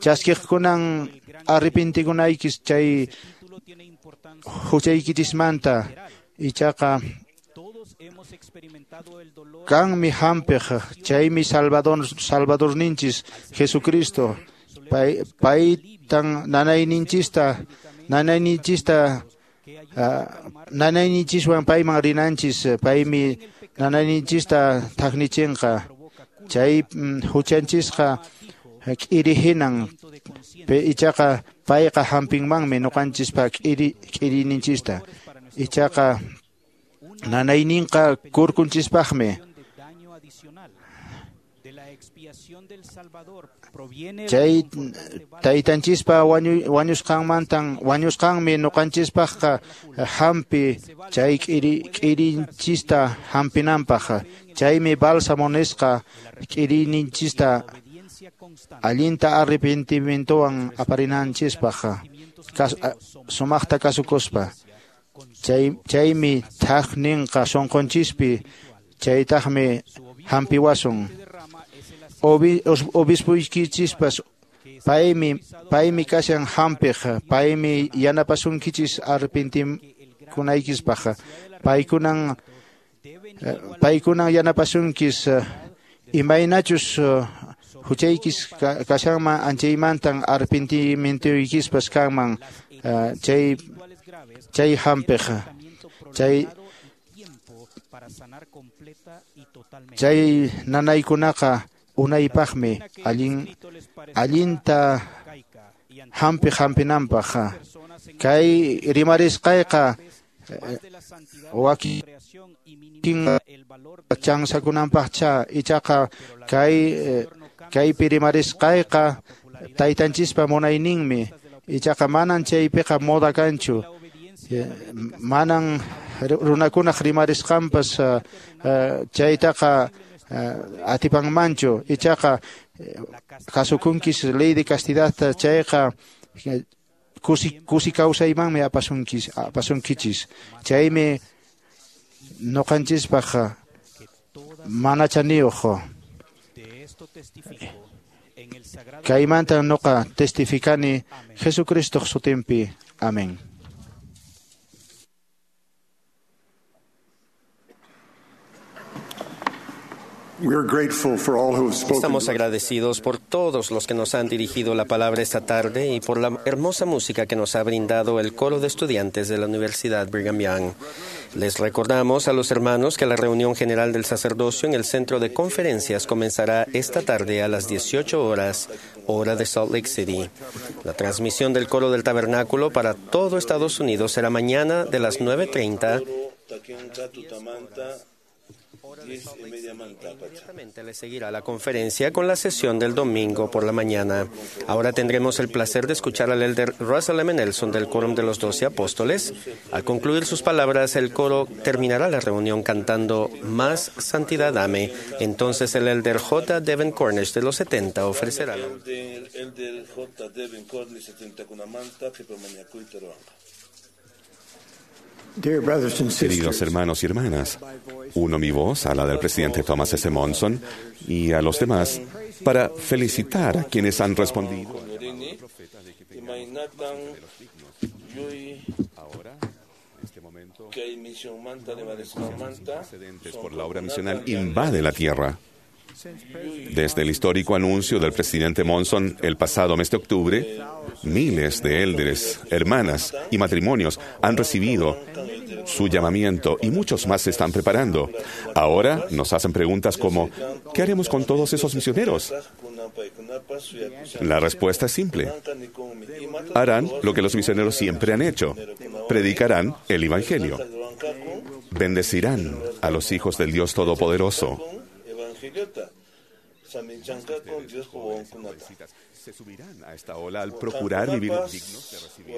chaskiqkunan arrepentikunaykis chay huchaykichismanta. Ichaqa kanmi hampiq, chaymi Salvadorninchis Jesucristo. Paytan nanayninchiswan payman rinanchis. Paymi nanayninchista thaqnichinqa. Chay huchanchisqa k'iri hinan, ichaqa payqa hampinmanmi ñuqanchispa k'irininchista. Ichaqa nanayninqa kurkunchispaqmi. Chay taytanchispa wañusqanmi ñuqanchispaqqa hampi chay k'irinchista hampinanpaq. Chaymi bálsamo nisqa k'irininchista allinta arrepentimientowan aparinanchispaq sumaqta kasukuspa. Chaymi thaqninqa sunqunchispi, chaytaqmi hampiwasun. Obispuykinchispas paymi kashan hampiq, paymi yanapasunkichis arrepentinkunaykispaq. Paykunan yanapasunkis imaynachus huchaykis kashanman anchaymantan arrepentimientoykispas kanman chay hampiq. Chay nanaykunaqa unaypaqmi allinta hampi hampinanpaq. Kay rimarisqayqa wakin chansakunanpaqcha, ichaqa kaypi rimarisqayqa taytanchispa munayninmi. Ichaqa manan chaypiqa moda kanchu. Manan runakunaq rimarisqanpas chaytaqa atipanmanchu. Ichaqa kasukunkis ley de castidadta, chayqa kusi kawsaymanmi apasunkichis. Chaymi ñuqanchispaq mana chaniyuq. Kaymanta ñuqa testificani Jesucristoq sutinpi. Amén. Estamos agradecidos por todos los que nos han dirigido la palabra esta tarde y por la hermosa música que nos ha brindado el coro de estudiantes de la Universidad Brigham Young. Les recordamos a los hermanos que la reunión general del sacerdocio en el centro de conferencias comenzará esta tarde a las 18 horas, hora de Salt Lake City. La transmisión del coro del tabernáculo para todo Estados Unidos será mañana de las 9:30. Inmediatamente le seguirá la conferencia con la sesión del domingo por la mañana. Ahora tendremos el placer de escuchar al elder Russell M. Nelson del Quórum de los Doce Apóstoles. Al concluir sus palabras, el coro terminará la reunión cantando Más Santidad Dame. Entonces el elder J. Devin Cornish de los 70 ofrecerá la Elder J. Devin Cornish 70 Queridos hermanos y hermanas, uno mi voz a la del presidente Thomas S. Monson y a los demás para felicitar a quienes han respondido. Por la obra misional invade la tierra. Desde el histórico anuncio del presidente Monson el pasado mes de octubre, miles de élderes, hermanas y matrimonios han recibido su llamamiento y muchos más se están preparando. Ahora nos hacen preguntas como, ¿qué haremos con todos esos misioneros? La respuesta es simple. Harán lo que los misioneros siempre han hecho. Predicarán el Evangelio. Bendecirán a los hijos del Dios Todopoderoso. Se subirán a esta ola al procurar vivir dignos de recibir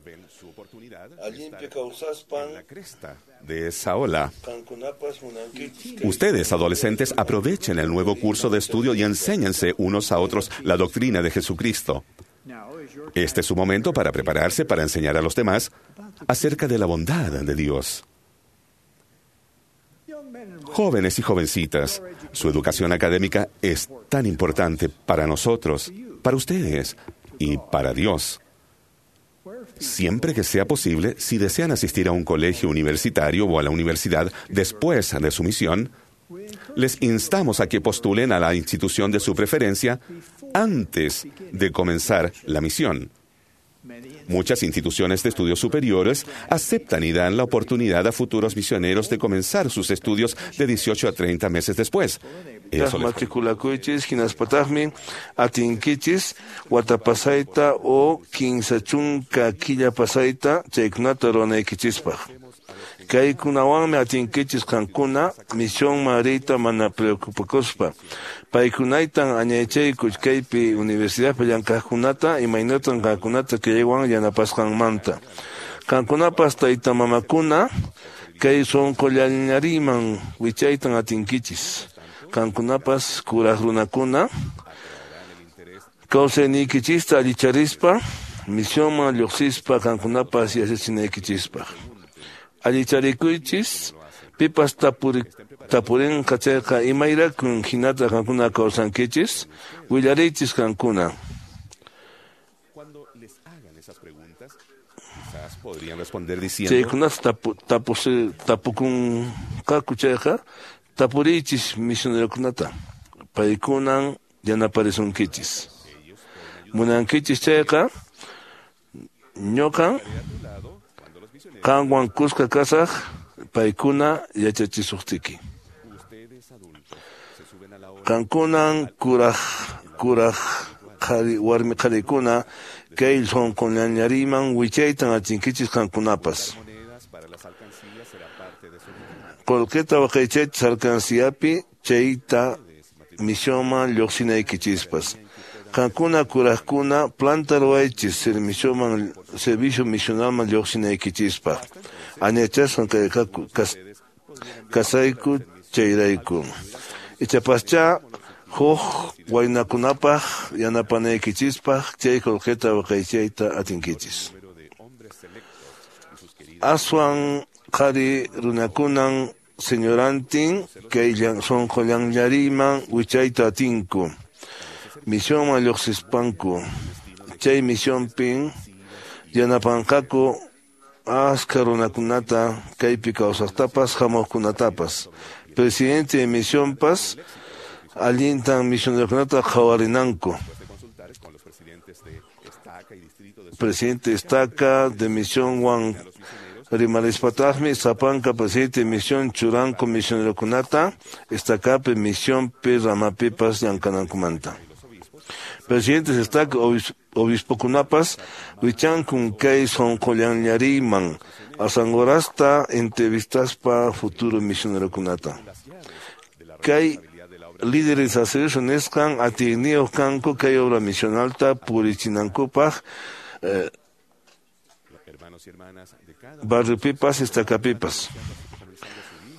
Ven su oportunidad de la cresta de esa ola. Ustedes, adolescentes, aprovechen el nuevo curso de estudio y enséñense unos a otros la doctrina de Jesucristo. Este es su momento para prepararse para enseñar a los demás acerca de la bondad de Dios. Jóvenes y jovencitas, su educación académica es tan importante para nosotros, para ustedes y para Dios. Siempre que sea posible, si desean asistir a un colegio universitario o a la universidad después de su misión, les instamos a que postulen a la institución de su preferencia antes de comenzar la misión. Muchas instituciones de estudios superiores aceptan y dan la oportunidad a futuros misioneros de comenzar sus estudios de 18 a 30 meses después. Eso les matrikulakuychis hinaspataqmi atinkichis watapasayta o kinsa chunka killa pasayta chaykunata ruwanaykichispaq. Kaykunawanmi atinkichis qankuna misionman riyta mana preocupakuspa. Paykunaytan añaychayku kaypi universidadpi llank'aqkunata imaynatan qankunata kaywan yanapasqanmanta. Qankunapas tayta mamakuna kay sunqullañariman wichaytan atinkichis. Qankunapas kuraq runakuna kawsayniykichista allicharispa misionman lluqsispa qankunapas yachachinaykichispaq. Allicharikuychis pipas tapurinqa chayqa imayrakun hinata qankuna kawsankichis willariychis qankuna. Podrían responder diciendo Chaykunata tapukunqaku chayqa tapuriychis misionerokunata paykunan yanaparisunkichis. Munankichis chayqa ñuqan qanwan kuska kasaq paykuna yachachisuqtiki. Qankunan kuraq qhari warmi qharikuna kay sunquñañariman wichaytan atinkichis qankunapas. Qullqita waqaychaychis alcanciapi chayta misionman lluqsinaykichispas. Qankuna kuraqkuna planta ruwaychis servicio misionalman lluqsinaykichispaq. Añachasqan kasayku chayrayku. Ichapascha huk waynakunapaq yanapanaykichispaq chay qullqita waqaychayta atinkichis. Aswan qhari runakunan señorantin kay sunqullanllariman wichayta atinku. Misionman lluqsispanku. Chay misionpin yanapanqaku aska runakunata kaypi kawsaqtapas hamuqkunatapas. Presidente de misionpas allintan misionerokunata qhawarinanku. Presidente estaca de misión wan rimarispataqmi sapanka presidente de misión churanku misionerokunata estacapi misionpi ramapipas llamk'anankumanta. Presidentes estaca obispokunapas wichankun kay sunqullanllariyman asanqurasta entrevistaspa futuro misionerokunata. Kay líderes sacerdocio nisqan atiyniyuq kanku kay obra misionalta purichinankupaq barriopipas estacapipas.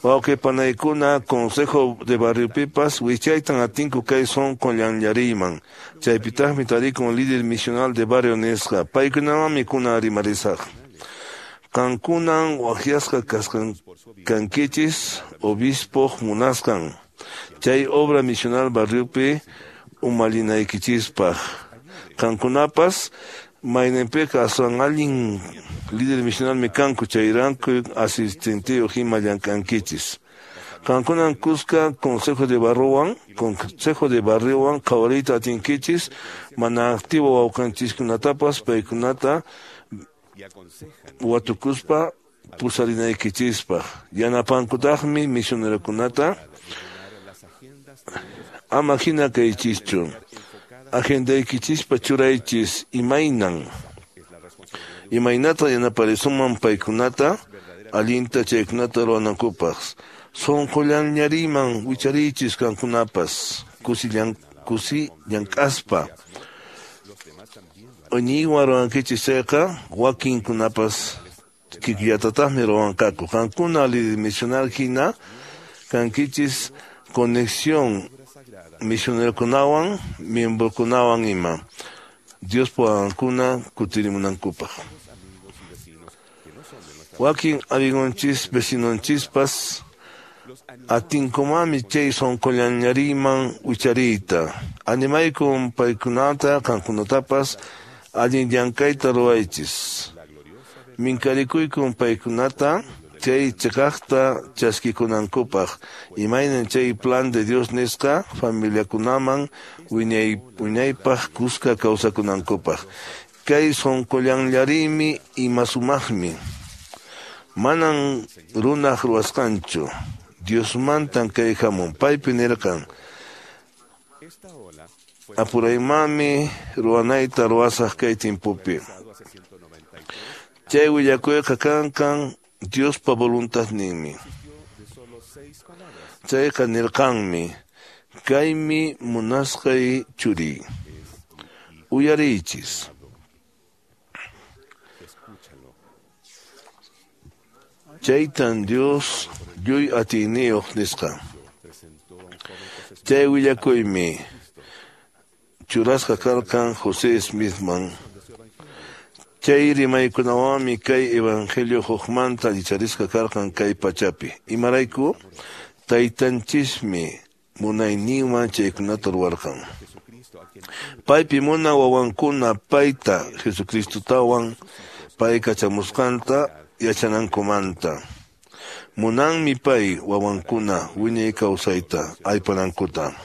Wawqi panaykuna consejo de barriopipas wichaytan atinku kay sunqullanllariyman chaypitaqmi tarikun líder misional de barrio nisqa paykunawanmi kuna rimarisaq. Qankunan waqyasqa kasqan kankichis obispoq munasqan chay obra misional barriopi umallinaykichispaq. Qankunapas mayninpiqa aswan allin líder misionalmi kanku chayrayku asistenteyuq ima llamk'ankichis. Qankunan kuska consejo de barriowan qhawariyta atinkichis mana activo wawqanchiskunatapas paykunata watukuspa pusarinaykichispaq. Yanapankutaqmi misionerokunata ama hina kaychischu. Agendaykichispa churaychis imaynan. Imaynata yanaparisunman paykunata allinta chaykunata ruwanankupaq. Sunqullanllariyman wichariychis qankunapas kusi llank'aspa. Iñiywan ruwankichis chayqa wakinkunapas kikillatataqmi ruwanqaku. Qankuna líder misional hina kankichis conexión misionerokunawan miembrokunawan ima Diospa wawankuna kutirimunankupaq. Wakin amigonchis vecinonchispas atinkumami chay sunqullanllariyman wichariyta. Animaykun paykunata qankunatapas allin llank'ayta ruwaychis. Minkarikuykun paykunata chay chiqaqta chaskikunankupaq imaynan chay plan de Dios nisqa familiakunaman wiñaypaq kuska kawsakunankupaq. Kay sunqullanllariymi ima sumaqmi. Manan runaq ruwasqanchu. Diosmantan kay hamun. Paypi nirqan apuraymanmi ruwanayta ruwasaq kay timpupi. Chay willakuyqa kankan Diospa voluntadninmi. Chayqa nirqanmi kaymi munasqay churiy. Uyariychis. Chaytan Dios lluy atiyniyuq nisqa. Chay willakuymi churasqa karqan José Smithman. Chay rimaykunawanmi kay evangelio hukmanta allicharisqa karqan kay pachapi. Imarayku taytanchismi munayninwan chaykunata ruwarqan. Paypi muna wawankuna payta Jesucristotawan pay kachamusqanta yachanankumanta. Munanmi pay wawankuna wiñay kawsayta aypanankuta.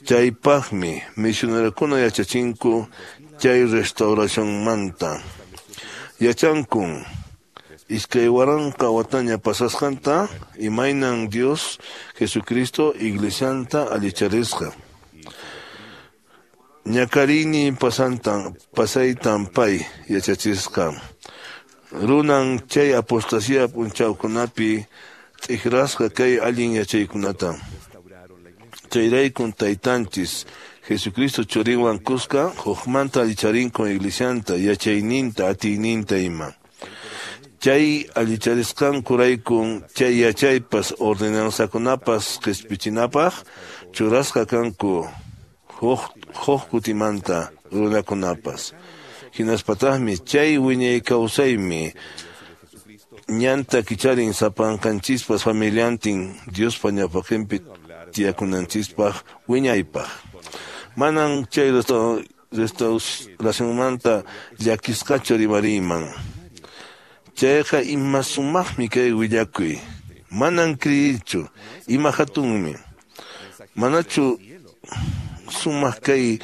Chaypaqmi misionerokuna yachachinku chay restauracionmanta. Yachankun 2000 wataña pasasqanta imaynan Dios Jesucristo iglesianta allicharisqa. Ñakarini pasaytan pay yachachisqa. Runan chay apostasía p'unchawkunapi t'ikrasqa kay allin yachaykunata. Chayraykun taytanchis Jesucristo churinwan kuska hukmanta allicharinkun iglesianta yachayninta atiyninta ima. Chay allicharisqankuraykun chay yachaypas ordenanzakunapas qispichinapaq churasqa kanku huk kutimanta runakunapas. Hinaspataqmi chay wiñay kawsaymi ñanta kicharin sapankanchispas familiantin Diospa ñawpaqinpi tiyakunanchispaq wiñaypaq. Manan chay restauracionmanta llakisqachu rimariyman. Chayqa ima sumaqmi kay willakuy. Manan kriyichu, ima hatunmi. Manachu sumaq kay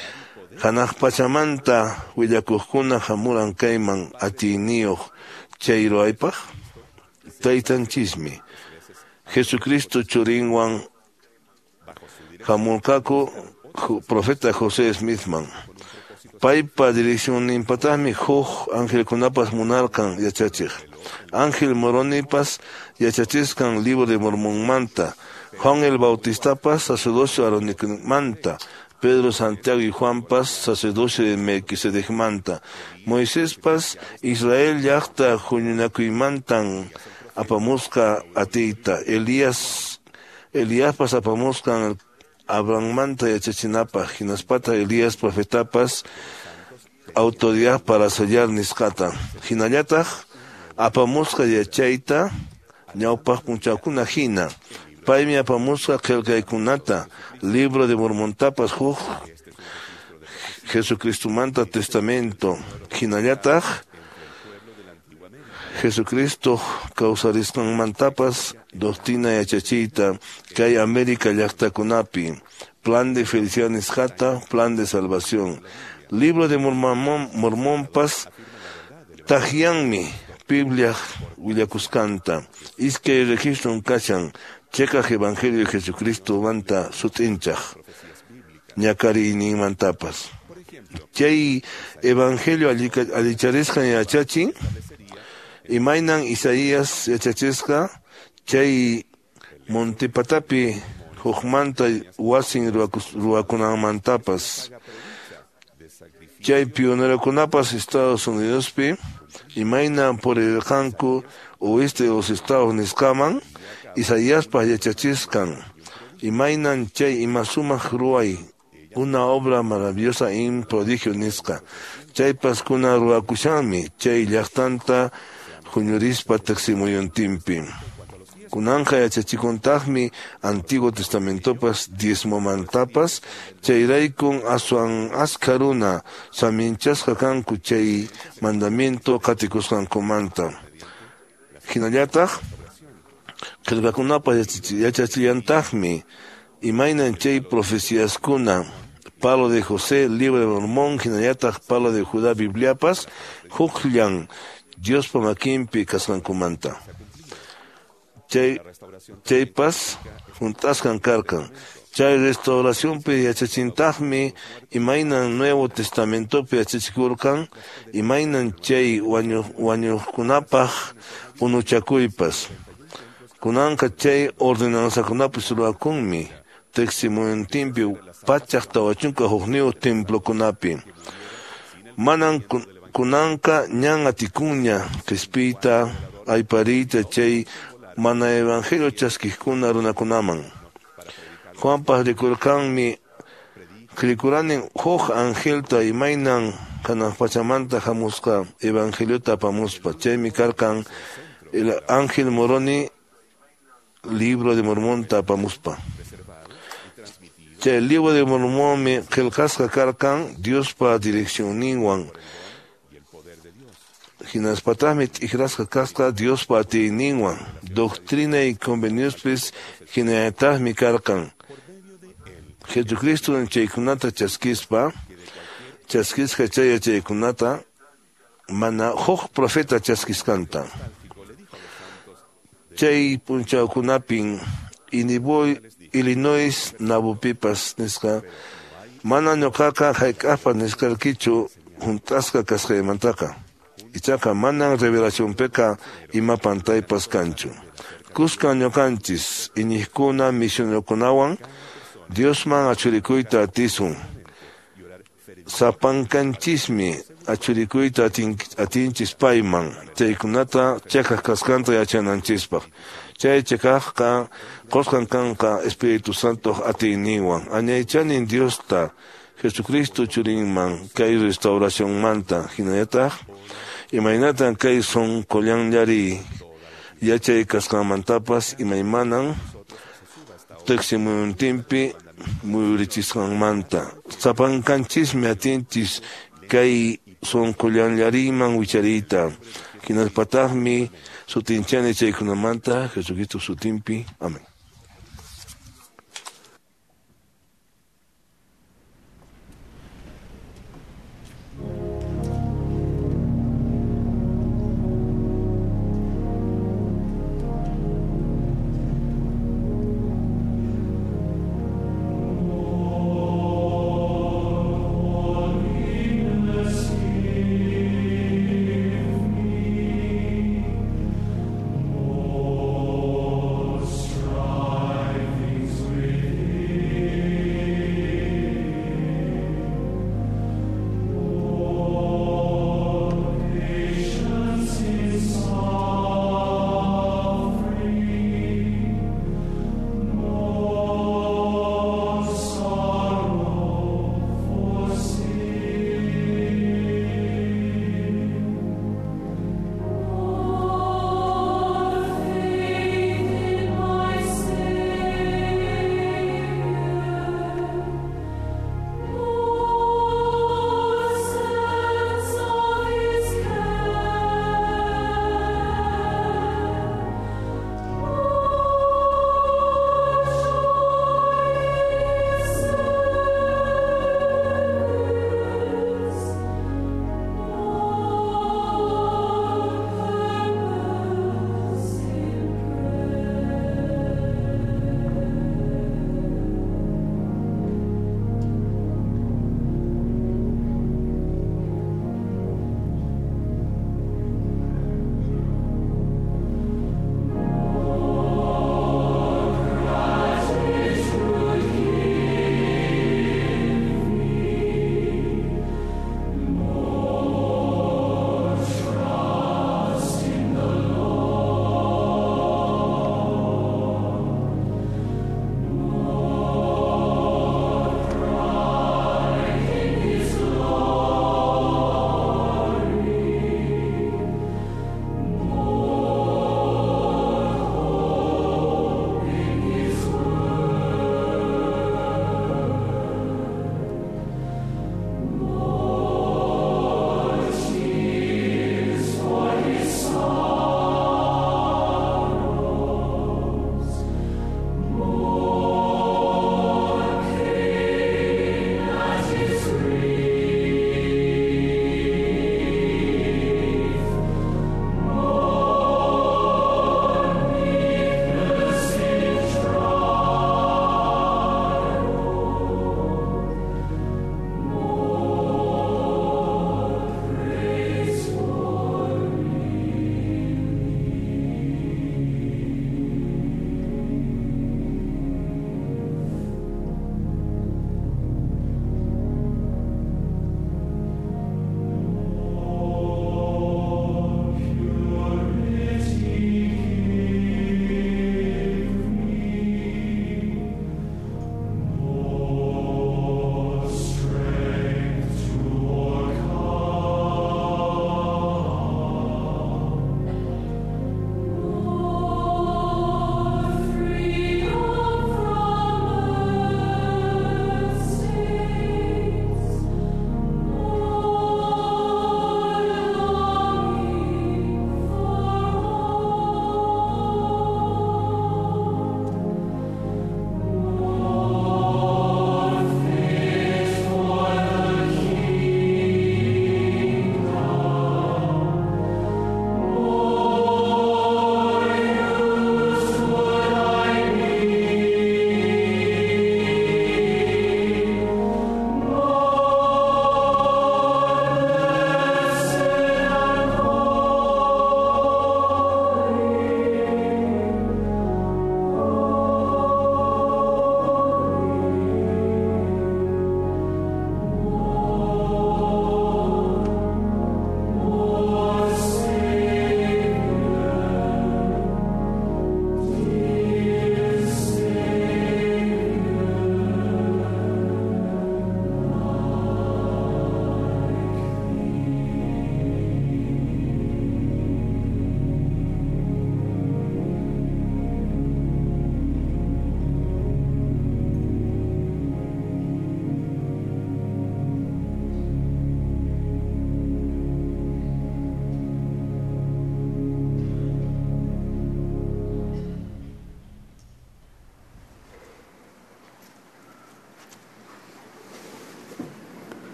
hanaq pachamanta willakuqkuna hamuran kayman atiyniyuq chay ruwaypaq? Taytanchismi Jesucristo churinwan hamurqaku profeta José Smithman. Paypa direccionninpataqmi huk angelkunapas munarqan yachachiq. Ángel Moronipas yachachisqan Libro de Mormonmanta, Juan el Bautistapas sacerdocio Aaronicmanta, Pedro, Santiago y Juanpas sacerdocio de Melquisedecmanta, Moiséspas Israel llaqta huñunakuymantan apamusqa atiyta, Eliaspas apamusqan Abrahammanta yachachinapaq, hinaspata Elías profetapas autoridad para sellar nisqata. Hinallataq apamusqa yachayta ñawpaq punchawkuna hina. Paymi apamusqa qillqaykunata, Libro de Mormontapas huk Jesucristomanta testamento. Hinallataq Jesucristo kawsarisqanmantapas doctrina yachachiyta kay América llaqtakunapi, plan de felicidad nisqata, plan de salvación. Libro de Mormonpas taqyanmi Biblia willakusqanta. Iskay registron kashan cheqaq Evangelio de Jesucristo manta sut'inchaq ñakariyninmantapas. Chay Evangelio allicharisqan yachachin imaynan Isaías yachachisqa chay montepatapi hukmanta wasin ruwakunanmantapas. Chay pionerokunapas Estados Unidospi imaynan purirqanku oeste de los estados nisqaman Isaíaspa yachachisqan imaynan chay ima sumaq ruway una obra maravillosa in prodigio nisqa. Chaypas kuna ruwakushanmi chay llaqtanta huñurispa teqsimuyuntinpi. Kunanqa yachachikuntaqmi Antiguo Testamentopas diezmomantapas chayraykun aswan askha runa saminchasqa kanku chay mandamiento qatikusqankumanta. Hinallataq qillqakunapas yachachillantaqmi imaynan chay profeciaskuna Palo de José, Libro de Mormón, hinallataq Palo de Judá Bibliapas hukllan Diospa makinpi kasqankumanta. Chaypas juntasqan karqan. Chay restauracionpi yachachintaqmi imaynan Nuevo Testamentopi yachachikurqan, imaynan chay wañuqkunapaq unuchakuypas. Kunanqa chay ordenanzakunapis ruwakunmi teqsimuyuntinpi 141 templokunapi. Manan kunanqa ñan atikunña qispiyta aypariyta chay mana evangelio chaskiqkuna runakunaman. Juanpas rikurqanmi rikuranin huk angelta imaynan hanaq pachamanta hamusqa evangeliota apamuspa. Chaymi karqan el ángel Moroni Libro de Mormonta apamuspa. Chay Libro de Mormonmi qillqasqa karqan Diospa direccionninwan. Hinaspataqmi t'ikrasqa kasqa Diospa atiyninwan. Doctrina y conveniospis hinallataqmi karqan. Jesucristo chaykunata chaskispa, chaskisqa chay yachaykunata mana huk profeta chaskisqanta. Chay punchawkunapin Illinois Nabupipas nisqa mana ñuqaqa hayk'aqpas nisqarkichu hunt'asqa kasqaymantaqa. Ichaqa manan revelacionpiqa ima pantaypas kanchu. Kuskan ñuqanchis iñiqkuna misionerokunawan Diosman achurikuyta atisun. Sapankanchismi achurikuyta atinchis payman chaykunata cheqaq kasqanta yachananchispaq. Chay cheqaqqa qusqan kanqa Espíritu Santoq atiyninwan. Añaychanin Diosta Jesucristo churinman kay restauracionmanta hinallataq imaynatan kay sonqollanllari yachay kasqanmantapas imaymanan teqsimuyuntinpi muyurichisqanmanta. Sapankanchismi atinchis kay sonqollanllariman wichariyta. Hinaspataqmi sutinchani chaykunamanta Jesucristo sutinpi. Amén. Strong.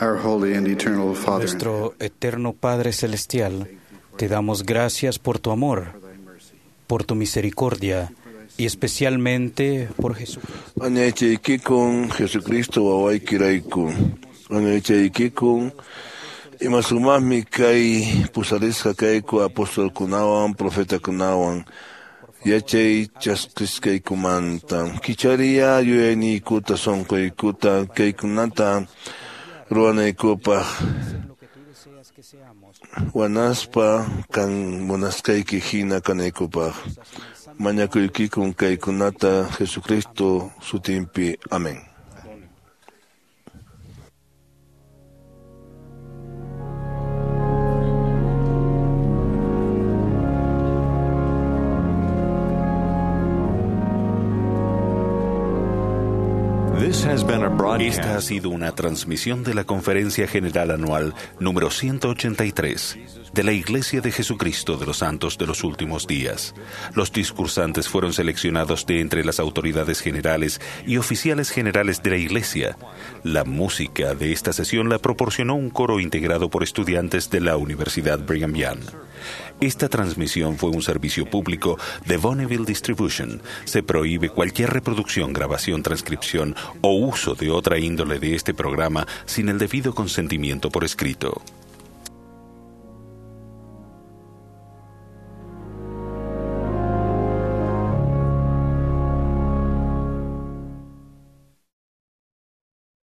Our holy and eternal Father, Nuestro eterno Padre Celestial, te damos gracias por tu amor, por tu misericordia y especialmente por Jesucristo. Añachaykikun Jesucristo wawaykirayku. Añachaykikun ima sumaqmi kay pusarisqa kayku apostolkunawan profetakunawan yachay chaskisqaykumanta. Kichariya yuyayniykuta sunquykuta kaykunata ruwanaykupaq wanaspa kan munasqayki hina kanaykupaq. Mañakuykikun kaykunata Jesucristo sutinpi. Amén. Esta ha sido una transmisión de la Conferencia General Anual número 183 de la Iglesia de Jesucristo de los Santos de los Últimos Días. Los discursantes fueron seleccionados de entre las autoridades generales y oficiales generales de la Iglesia. La música de esta sesión la proporcionó un coro integrado por estudiantes de la Universidad Brigham Young. Esta transmisión fue un servicio público de Bonneville Distribution. Se prohíbe cualquier reproducción, grabación, transcripción o uso de otra índole de este programa sin el debido consentimiento por escrito.